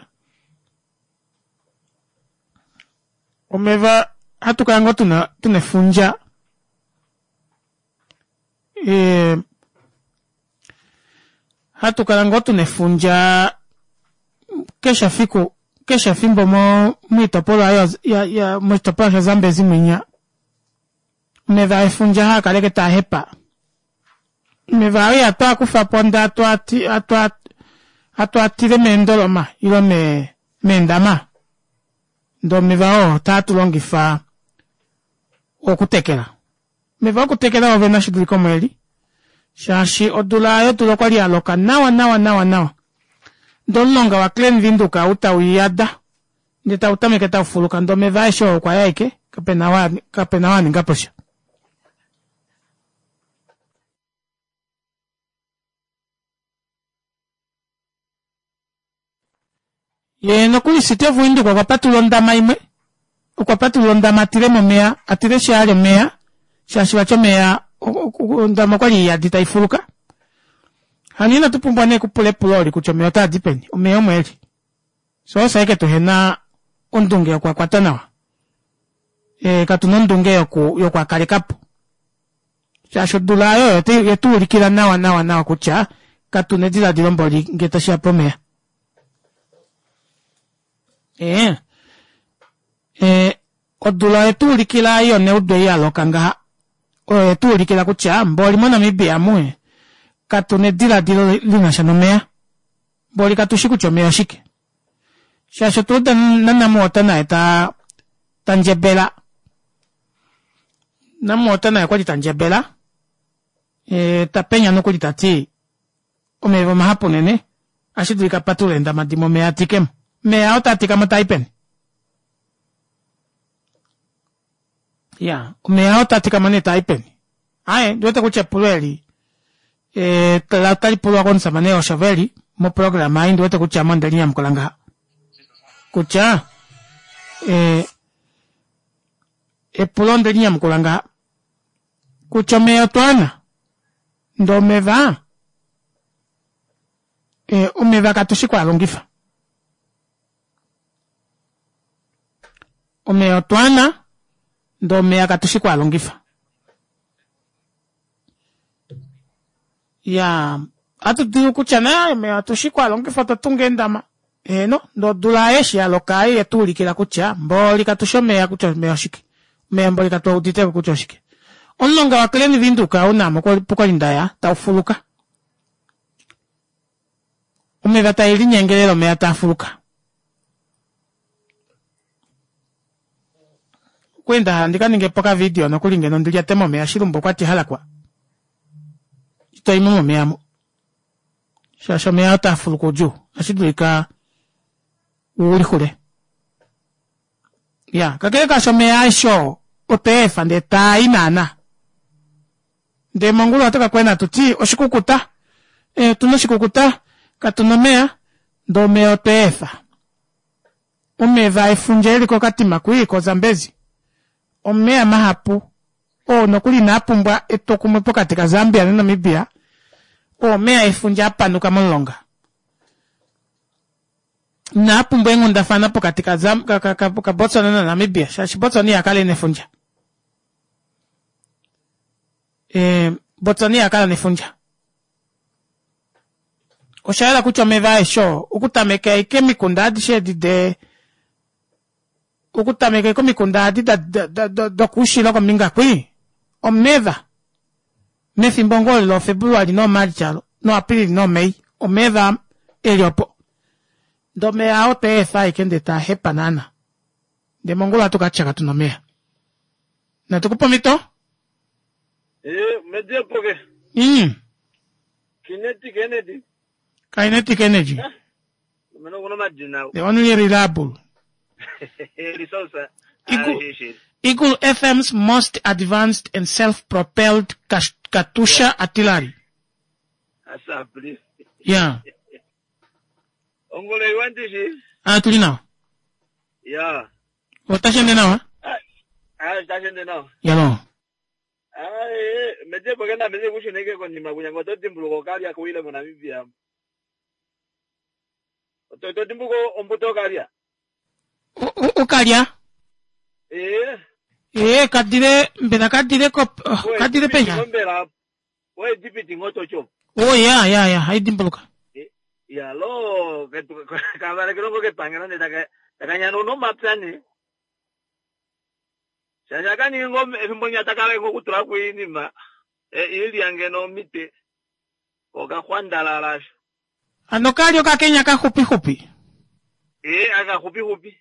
Omeva ohatukala ngoo tuna tuna efundja ee hatukala ngoo tuna efundja keshe efiku keshe efimbo mo moitopolwa ya moshitopolwa sha zambezi mwinya omeva efundja haakala ashike taahepa. Omeva aa ihatwaakufapo ndee hatwaatile meendoloma ile meendama ndee omeva oo ota tulongifa okutekela. Omeva okutekela oovene otashidulika omo eli shaashi odula aayo odula okwali yaloka nawa nawa nawa nawa ndee omulonga wa klein windhoek ou tauyada ndee tautameke taufuluka ndee omeva aeshe oo okwaya ashike kapena kapena ou aningaposha. Yee nokuli city of Windhoek okwa patulula ondama imwe, okwa patulula ondama atilemo omeva atile eshi omeva shaashi vati omeva ondama okwali iyadi taifuluka. Hano ina tupumbwa nee okupula epulo eli kutya omeva otaadi peni, omeva omo eli. Fyee osho ashike tuhena ondunge yokuakwata nawa. Ee katuna ondunge yoku yokuakalekapo shaashi odula aayo oyetuulikila nawa nawa nawa kutya katuna edilaadilo mboli ngee tashiya pomeva. Ee ee odula oyetuulikila ei yoneudo ei yaloka ngaha oyo yetuulikila kutya mboli mo namibia omu katuna edilaadilo linasha nomeva. Mboli katushi kutya omeva oshike. Shaashi otwa uda na namwater naye taa tandjebela. Namwater naye okwali tandjebela ee tapenya nokuli tati omeva omahapu unene ohashidulika apatulule eendama dimwe omeva atikemo. Omeva oo taatikamo taai peni? Iyaa omeva oo taatikamo nee taai peni? Aaye ondiwete kutya epulo eli ee otalipulwa komushamane Oshoveli mo programa ei ondiwete kutya ame ondelinyamukula ngaha kutya ee epulo ondelinyamukula ngaha kutya omeva otwaana ndee omeva E, omeva katushi kwaalongifa. Omeya otwaana ndee omeya katushi kwaalongifa. Iyaa ohatu dulu kutya nee omeya otushi kwaalongifa otwa tunga eendama. Heeno ndee odula aayo eshi yaloka aayo yetuulikila kutya mboli katushi omeya kutya omeya oshike. Omeya mboli katuuditeko kutya oshike. Omulonga wa Klein Windhoek ou naame okwali ndaya taufuluka. Omeva taelinyenge lela omeva taafuluka. Okwali ndahala ndikaningepo okavideo nokuli ngeno ndilyate momeya shilumbu okwati halakwa itoimo momeya amu shaashi omeya otaa fuluka oudjuu ohashi dulika ulixule. Iya kakele kaasho omeya aeshe oo otweefa ndee taai naana ndee mongula ohatu kakwena hatuti oshikukuta ee otuna oshikukuta katuna omeya ndee omeya otweefa. Omeva efundja eli kokatima kwii ko zambezi omeva mahapu oo nokuli inaapumbwa etwokumwe pokati ka Zambia na Namibia oo omeva efundja apanuka momulonga. Inaapumbwa eenghundafana pokati ka Botswana na Namibia shaashi Botswana ihakala ena efundja. Ee Botswana ihakala nefundja. Oshayela kutya omeva aeshe oo okutameka ashike omikunda adishe edi de okutameka ashike omikunda adi dokoushilo kombinga kwii omeva mefimbo ngoo olo loo February noo March alo no April noo May omeva eli opo ndee omeva aa otweefa ashike ndee taahepa naana ndee mongula ohatu katya katuna omeva. Natukupe omhito.
Ee, mediepo ke.
Mm.
Kinetic Energy.
Kinetic Energy.
Mena okuna omadina.
The only reliable.
Resource.
Eagle, Eagle F M's most advanced and self-propelled Katusha artillery.
Asapli.
Yeah.
Ongolo iwandishi.
Ah, tuli nawa.
Yeah.
Otashi ende nawa?
Ah, otashi ende nawa.
Yalo.
Ah, eh, mediepo ke na meze kushuneke konima kunya ngoto dimbuluko okalya kuile moNamibia. Oto to dimbuluko ombuto okalya.
Okalya?
Eh.
Eh, kadile mbela kadile ko kadile penya.
Mbela we dipiti ngoto cho.
Oh ya ya ya, hai dimbuluka.
Ya lo kavale kilongo ke pangelo ne taka takanyana no mapya ne. Shasha kani ngo efimbo nya takala ngo kutula kuinima. E ili yange no mite. Okakhwandalala.
Ano kali okakenya ka hupi hupi.
Eh aka hupi hupi.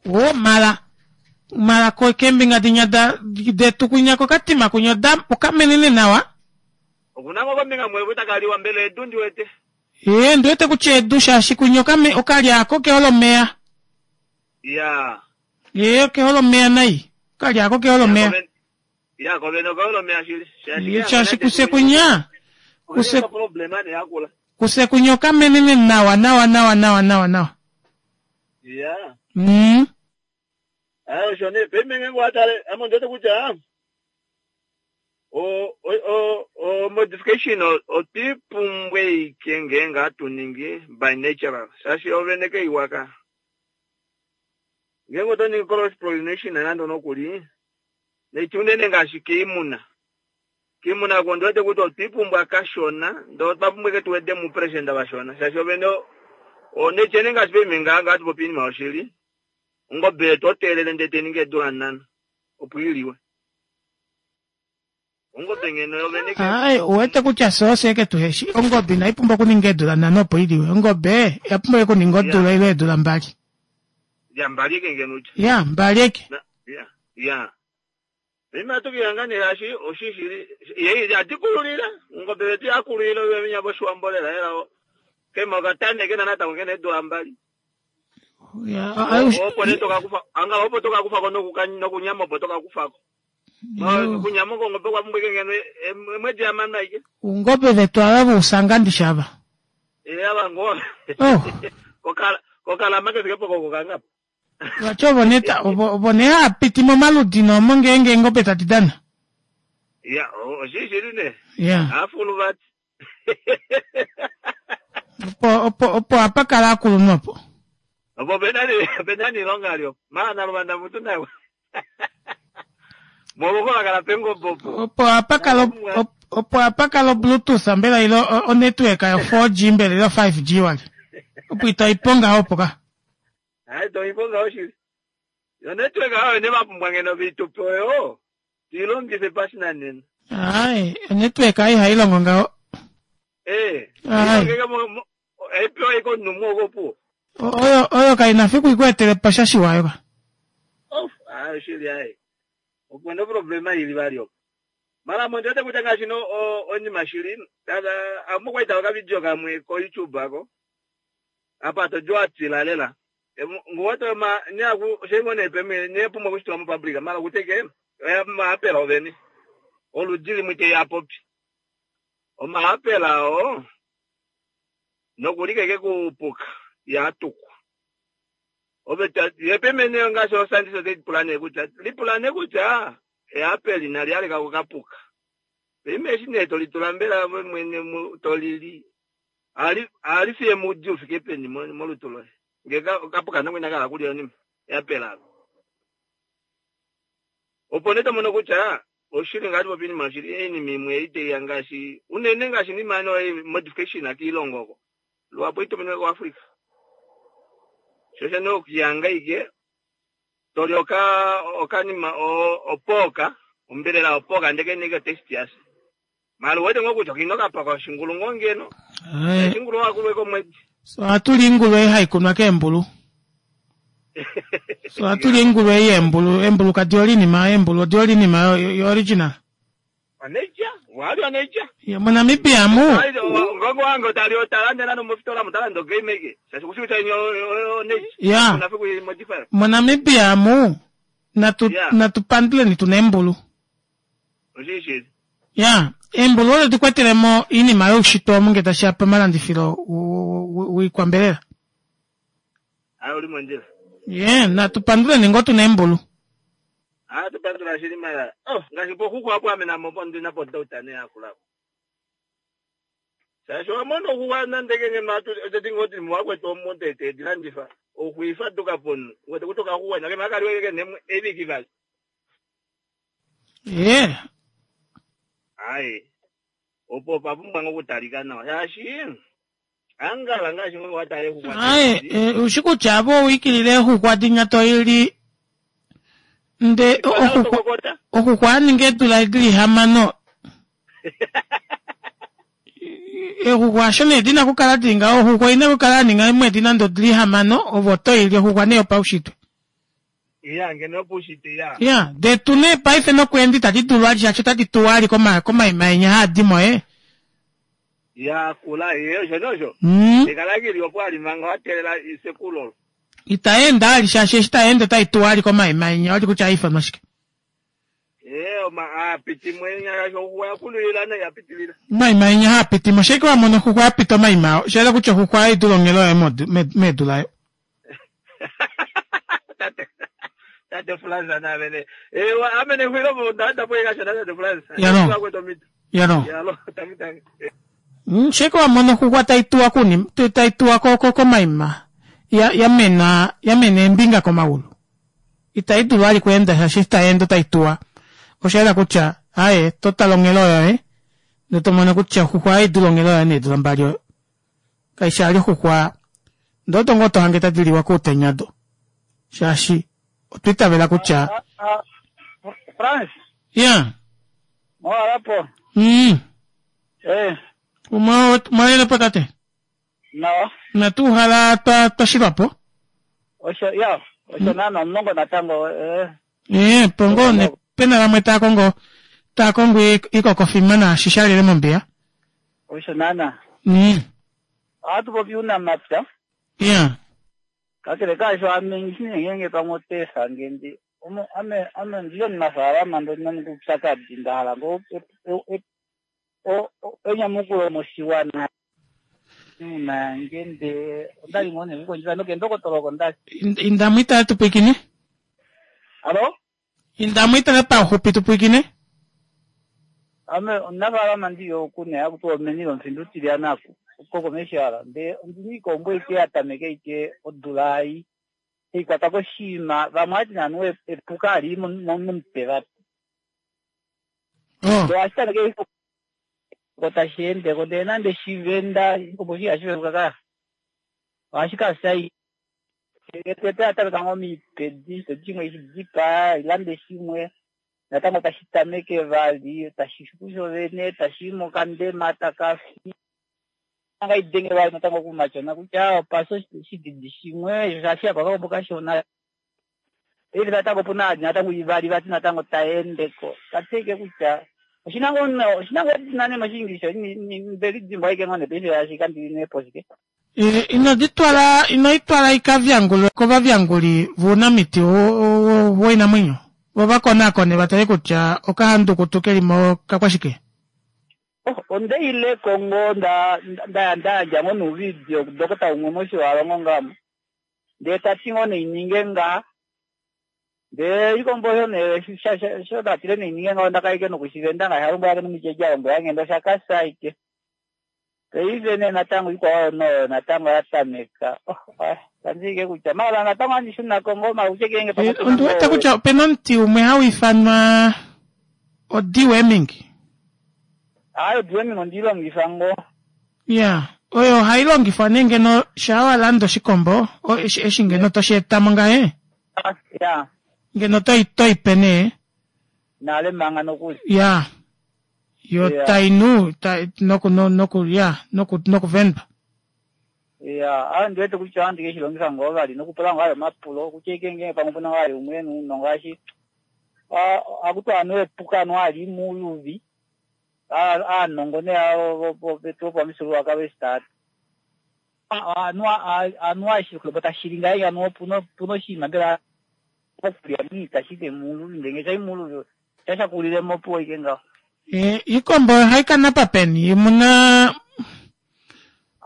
O mala mala ko kembinga dinya da detu kunya ko katima kunya da okamenene nawa.
Okuna ngo kombinga mwe takaliwa mbele edu ndiwete.
Eh ndiwete kutya edu shaashi kunya okame okalya ako keholo omeya.
Ya.
Eh keholo omeya nai. Okalya ako keholo omeya.
Ya kobeno keholo omeya shili.
Shaashi kuse kunya. Kuse
problema ne yakula.
Kuse kunya okamenene nawa nawa nawa nawa nawa nawa.
Ya.
Mm.
Ayo shone pemenge ngwatale amondote kutya o o o modification otipumbwe ike ngenga atuningi by natural shashi oveneke iwaka ngengo toningi cross pollination nando nokuli nechunene ngaashi kiimuna kiimuna ko ndote kuti otipumbwa kashona ndo twapumbwe ke tuwede mu president vashona shashi ovene o nechene ngaashi pemenge nga atupopi iinima yoshili ongobe toteelele ndee teningi eedula nhano opo iliwe. Ongobe ngeno yovene ke
Ai, uwete kutya fye eke tuheshi ongobe inaipumbwa okuninga eedula nhano opo iliwe. Ongobe oya pumbwa okuninga odula ile eedula mbali.
Ya mbali eke ngeno utya.
Ya mbali eke.
Ya ya. Pema tukihanga ne hashi oshishili ye atikululila ongobe yetu yakululila oyo nyaboshiwambo lela ela kema okatane kena natango kena eedula mbali.
Ya,
opo ne tokakufa anga opo tokakufako nokunyama opo tokakufako. Kunyama kongobe kwapumbwa ike ngeno emwedi yamana ike.
Ungobe vetu ava vousanga ndishava.
Eh ava ngo.
Oh.
Kokala kokala make fike poko kokanga.
Vati ovo nee ovo nee hapiti momaludi noomo ngeenge eengobe tadi dana.
Ya, oshishili ne.
Ya.
Afulu vati.
Opo opo opo apa kala akulunhu opo.
Opo pena pena niilonga lyo. Maana luvanda mutu nawe. Moluko kala pengombo opo.
Opo apa kala opo apa kala bluetooth mbela ilo o network yo four G mbela ilo five G wali. Opo itaiponga opo ka.
Hai toiponga oshili. Yo network ayo ne vapumbwa ngeno vitupe oyo. Tilongife pashinanena.
Ai, network ai hailongo ngaho.
Eh.
Ai.
Aipewa iko numu opo.
Oyo oyo kaina fiku ikuetele pasha shiwayo ka.
Of, ah shili ai. Opo no problema ili valio. Mara mondo te kutanga shino onima shili, tala amukwaita ka video kamwe ko YouTube ako. Apa tojwa tilalela. Ngoto ma nyaku shengone peme nepumo kushitwa mu public mara kuteke maapela oveni. Oludili mwite ya popi. Omaapela o nokulikeke kupuka yatukwa. Obeta yepemene ngasho sandiso te pulane kutya lipulane kutya eapeli nali aleka kukapuka. Pime shine tolitula mbela mwene tolili. Ali ali fiye mudi ufike peni molutulo. Ngeka kapuka nangwe kala kulya ni eapela. Opo neto mono kutya oshili ngati popini mashili eni mimwe ite yangashi unene ngashi ni mano modification akilongoko. Lwapo itomene kwa Afrika. Shosha no kuyangaike toli oka okanima opoka ombelela opoka ndeke neke test yasi. Malu wete ngokuti kinoka paka shingulu ngongeno.
Eh.
Shingulu wakulwe komwedi.
So atuli ingulu haikunwa kembulu. So atuli ingulu yembulu, embulu kadioli ma embulu dioli ma yo original.
Aneja, wali aneja.
Ya Monamibia mu.
Ngongo wangu tali otalanda nano mufitola mutalando game ike. Sasa kushuta inyo neja.
Ya.
Unafiku modify.
Monamibia mu natu
Yeah.
natupandule ni tunembulu.
Oshishi.
Ya, embulu oyo tukwetelemo inima youshitwe omu nge tashiya pamalandifilo wiikwambelela.
Ayo uli mondjila.
Ye, natupanduleni ngoo tuna embulu.
Ah tupandula shili mara. Oh, ngashi po huku hapo amena mopo ndina po dauta ne akula. Sasa wamono huwa nandeke ngeno atu tetingo ti mwakwe to monte te dilandifa. Okuifa tuka ponu. Wete kutoka huwa nake makali weke nemwe ebiki bali.
Ye,
Ai. Opo papumbwa ngokutalika nawa. Yashi. Angala ngashi ngo watale huwa.
aye, e, ushi kutya avo owikilile oxuxwa dinya toili nde oxuxwa oxuxwa aninga eedula dili hamano. Exuxwa asho nee dina okukala dili ngaho, oxuxwa oina okukala yaninga eemwedi nande odili hamano ovo toili oxuxwa nee yopaushitwe.
Ya ngeno pushite ya.
Ya, detu nee paife nokweenda itadi dulu ali shaashi otadi tuwa ali koma komaima enya haadimo e.
Ya kula iyo shonosho.
Mm.
Ekalagili opo alimanga watelela isekulo.
Itaenda ali shaashi eshi taenda otaituwa ali komaima enya oli kutya aifanwa shike.
Eh ma apiti mwenya yasho huwa kulila na yapitilila.
Omaima enya haapitimo sheke wamona oxuxwa yapita omaima ao shayela kutya oxuxwa aidula onghelo yayo medu layo.
Tate Tate Franza na vene. Eh amene hwilo mo ndanda po ikasha tate Franza.
Ya no. Ya no.
Ya lo tangi tangi.
Mm, sheke wamona oxuxwa taituwa kuni taituwa ko ko komaima ya yamena yamena embinga komaulu. Itaidulu ali kuenda shaashi taenda otaituwa. Oshayela kutya aye totala onghelo yoye notomona kutya oxuxwa aidula onghelo yayo needula mbali oyo. Kaishi ali oxuxwa ndoto ngoo tohange tadiliwa koutenya do. Shaashi otwiitavela kutya
France,
ya
mwalapo.
mm
Eh,
umwalelepo tate
nawa.
natuuhala twa twashilwapo
Osho ya, osho nana omulongo natango eh
ee pongo ne pena vamwe taya kongo taya kongo ikokofima naashi shalile mombiya
osho nana.
mm
Ohatu popi uunamapya.
ya
Kakele kaasho ame ngenge pamwe oteefa ngendi. Omo ame ame ndili omunafaalama ndina uupyakadhi nda hala ngo enyamukulo moshiwana. Uuna ngende ondali ngoo nekukondjifa nokendokotolo oko ndali.
Indamu itale tupwikine
Alo?
Indamu itale pauxupi tupwikine.
Ame omunafaalama ndi yo oku nee hakuti omeni lomufindu utilyana koko meshala ndee ondina iikombo ike ya tameke ike odula ei ikwata koshiima vamwe hati nanu epuka ali momutwe vati.
Oh.
Ndee ohashi tameke ko tashi endeko ndee nande shivenda iikombo shi ihashi venduka ka ohashi kafya tete yatameka ngoo miipedi toti shimwe shidipaa ilande shimwe natango tashi tameke vali tashi xupu shovene tashi mokandema takafi anga idenge vali natango kumatyona kutya opasa oshididi shimwe shaashi apa kakombo kashona ili natango opuna adi natango ivali vati natango taendeko kateke kutya oshina ngoo oshina ngoo edina nee moshiingilisha ndelidimbwa aike ngoo nee paife shaashi kandili neepo shike.
Ino ditwala ino itwala ikavyangulwe kovavyanguli vounamiti woinamwenyo vo vakonakone vatale kutya okahandukutu kelimo kakwashike.
Onde ileko ngoo nda nda ndayandja ngoo nouvidio kudokota umwe moshiwalongo ngamo ndee tati ngoo neininge ngaha ndee ikombo osho nee sho ndatile neininge ngaho ndakaike nokushivenda ngaashi alombwelake nomutyeja alombwela ngende oshakasa aike paife nee natango ikwao noyo natango yatameka tandiike kutya mala natango handi shunako ngoo mala kutye kenge
ondi wete kutya opena omuti umwe hau ifanwa o-deworming.
Hayi o-deworming ondiilongifa ngoo.
Ya oyo ohayi longifwa nee ngeno shaa walanda oshikombo eshi ngeno toshi etamo ngahe
ya
ngeno toi pe nee
nale manga nokuli
ya yo tainu noku noku ya noku nokuvendwa
ya a ndiwete kutya ohandi ke shilongifa ngoo vali nokupula ngoo ayo omapulo kutya ike ngenge pamwe opuna vali umwe nuunongo ngaashi akuti anu epuka anu ali muuluvi aanongo nee vetu vopamifyuululwakalo eshi taati anu ashikulopo tashili ngaye anu opuna oshinima mbela okulya itashi muuluvi ndenge shai muuluvi shashakulilemo opuwo ike ngaho.
Iikombo ohayi kanapa peni muna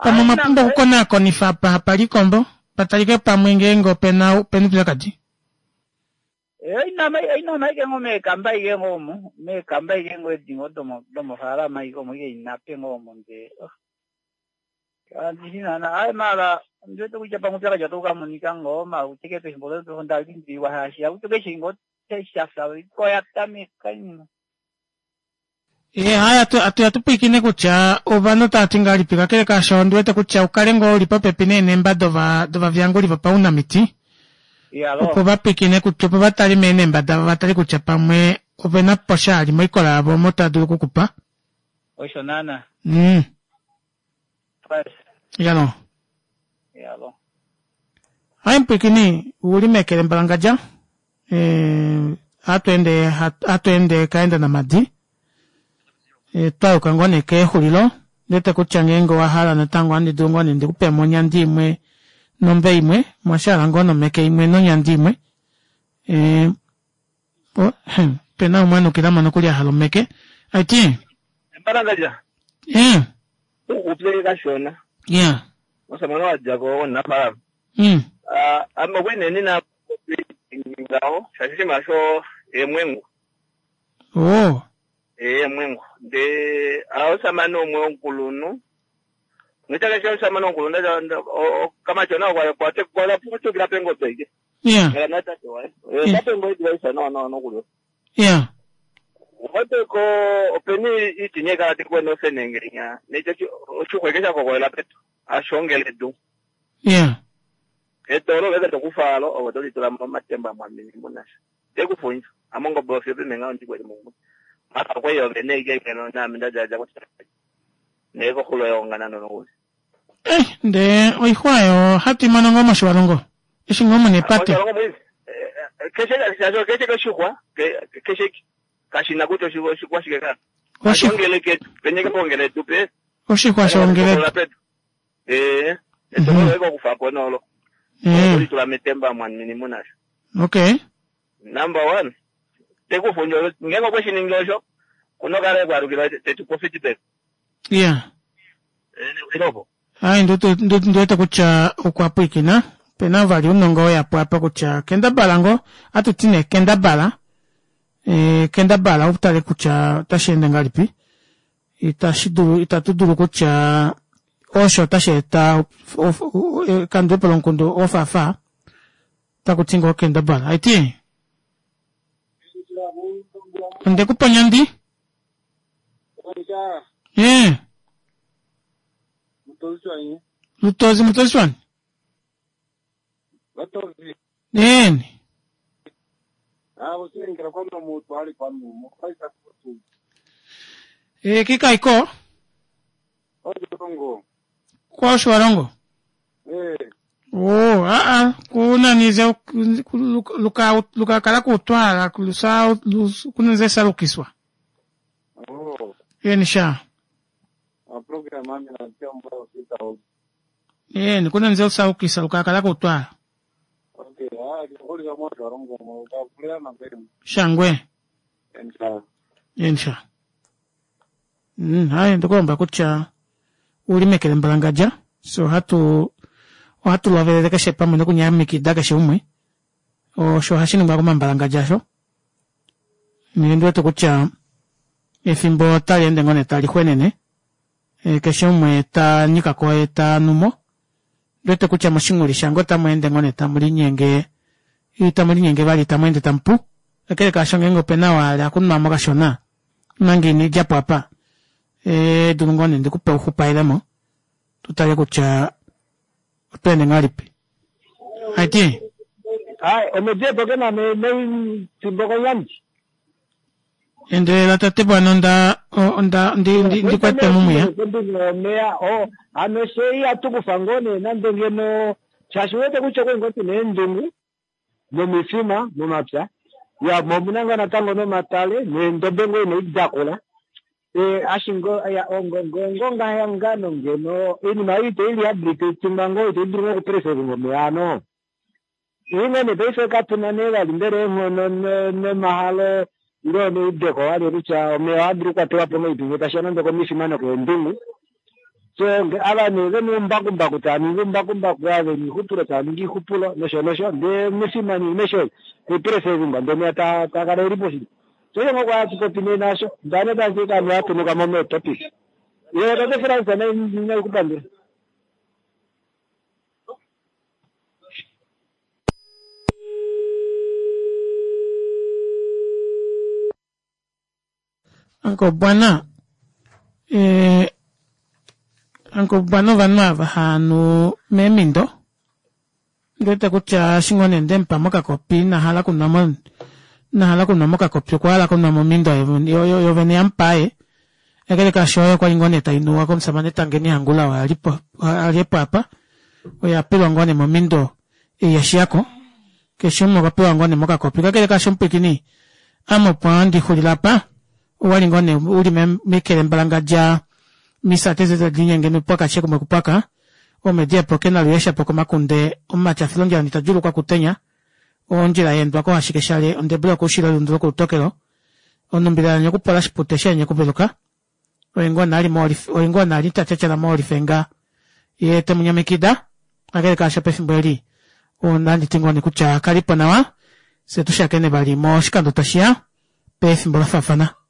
pamwe omwa pumbwa okukonakonifa apa hapali iikombo patalike pamwe ngeenge opena opena uupyakadi.
Inama ike ngoo meekamba ike ngoo omo meekamba ike ngoo edi ngoo domofaalama ike omo ike inape ngoo omo ndee andishi naana ayi mala ondiwete kutya pamwe uupyakadi otau kamonika ngoo mala kutya ike pefimbo onda limbililwa shaashi akuti keshe ngoo shafa oya tameka inima.
E haya atu atupwiikine kutya ovanhu otava ti ngahelipi kakele kaasho ondiwete kutya ukale ngoo uli popepi neenemba dova dovavyanguli vopaunamiti opo vapwiikine kutya opo vatale meenemba davo vatale kutya pamwe ovena po sha li moikola yavo omo tava dulu okukupa.
Osho naana.
Mm. Yalo.
Yalo.
Hai mpwiikini uli mekele mbalangadja e, hatu ende hatu ende kaenda namadi e, twayuka ngoo nee keexulilo ndete kutya ngeenge owahala natango ohandi dulu ngoo nee ndikupemo onyandi imwe nombe imwe mwashala ngoo nomeke imwe nonyandi imwe e, o, pena umwe anukilamo nokuli ahala omeke aiti
Mbalangadja
e
ukupye kashona
yeah
osamane wadjako omunafaalama
mm
ame okwenene na ngaho shaashi oshinima sho eemwengu
oh
eemwengu ndee omusamane umwe womukulunhu notaka omusamane womukulunhu kamatyona okwatukila pengobe ike
yeah
ela natate waye tate ngo idwaisa no no nokuli
yeah
oteko openi itinya kala tikwene ofenengenya necho oshuxweke shakokolela petu ashongele edu
yeah
etolo veke tokufalo ove tolitula momatemba mwamini munasha tekufundja amongobe ofyo pimenga ondikweli mumwe mara okweyo vene ike ngeno nami ndadjaadja kutya nekoxulo yonganano nokuli
eh ndee oixwa oyo hatu imono ngoo moshiwalongo eshi ngoo muna epate
keshe keshe keshixwa keshe kashina kutya oshixwa shike ka
Oshi-
ashongele ketu penyeke pongele edu pe
oshixwa shongele
petu ee etolo veke okufapo nolo
eh
tolitula metemba mwamini munasha
okay
number one tekufundja ngenge okweshiningi osho kunokala ekwalukila tetupo feedback
yeah
ilopo
ai ndiwete kutya okwa pwiikina pena vali ounongo weyapo apa kutya kendabala ngoo atuti nee kendabala E, kendabala utale kutya otashi ende ngahelipi itashi dulu itatu dulu kutya osho otashi eta ekandulepo lomukundu ofafa takuti ngoo kendabala aiti ondekupa nyandi ee lutozi mutozi wani neni e kikaiko kwoshiwalongo o aa kunanize luka lukakala kutwala lusa kunanize salukiswa yeni sha yeni kunanize usaukisa lukakala kutwala shangwe yeni sha mm, hayi ndikulomba kutya ulimekele mbalangadja so hatu ohatu lovelele keshe pamwe nokunyamikida keshe umwe osho hashi ningwa komambalangadja asho nendiwete kutya efimbo otali ende ngoo nee tali xwenene e, keshe umwe ta nyikako ye ta numo ndiwete kutya moshinguli shange otamu ende ngoo nee tamu linyenge itamu linyenge vali tamu ende tamupu kakele kaasho ngeenge opena waale akunwamo kashona omanga ina idjapo apa e, dulu ngoo nee ndikupe uxupailemo tutale kutya oto ende ngahelipi aiti
Hai, omediepo ke na mefimbo konyandi.
Endelela tate bwana onda onda ndi ndi ndikwete mumuya.
Omeya o ano sei atukufa ngoo nee nande ngeno shaashi wete kutya okwe ngoo tuna eendungu nomifima momapya ya momuna ngoo natango nomatale neendobe ngoo ina idakula e ashingo ya ongonga yangano ngeno iinima ei ite rehabilitatingwa ngoo ite dulu ngoo okupreservinga omeya ano ingo nee paife katuna nee vali mbela eenghono nomahalo ile neudeko vali kutya omeya ohadulu okukwatelwa po ngahelipi tashiya nande komifima nokeendungu so ava nee vena oumbakumbaku tava ningi oumbakumbaku ava vena oixupulo tava ningi oixupulo nosho nosho ndee omifima niimesho taipreservingwa ndee omeya takala eli poshili so iyo ngoo kwaya tupopi nee nasho ndane tashika atunuka mo meetopic ye tate France naikupandula
Uncle Bwana eh, Uncle Bwana ovanhu ava haanu meemindo ndiwete kutya eshi ngoo nee ndemupa mokakopi inahala kunwa mo inahala kunwa mokakopi okwa hala kunwa momindo yovene yamupaye kakele kaasho oyo kwali ngoo nee tainuwa komusamane Tangeni Hangula oyo alipo aliepo apa oyo apelwa ngoo nee momindo ei yashiyako keshe umwe okwa pewa ngoo nee mokakopi kakele kaasho omupwiikini ame opo handi xulile apa owali ngoo nee uli mekele mbalangadja misate zetu tadiinyenge mipwaka shekumwe kupwaka omediepo ke naluyesha po komakunde omumati afilondjila nitadjulukwa kutenya ondjila yeendwako ashike shale ondebula yokuushilo elundu lokulutokelo onumbilala kupola shipute sheenye kuveluka oye ngoo nali oye ngoo nali tatyatyala moolifenga ye temunyamikida kakele kaasho pefimbo eli onanditi ngoo nee kutya kalipo nawa fye tushakene vali moshikando tashiya pefimbo lafaafana.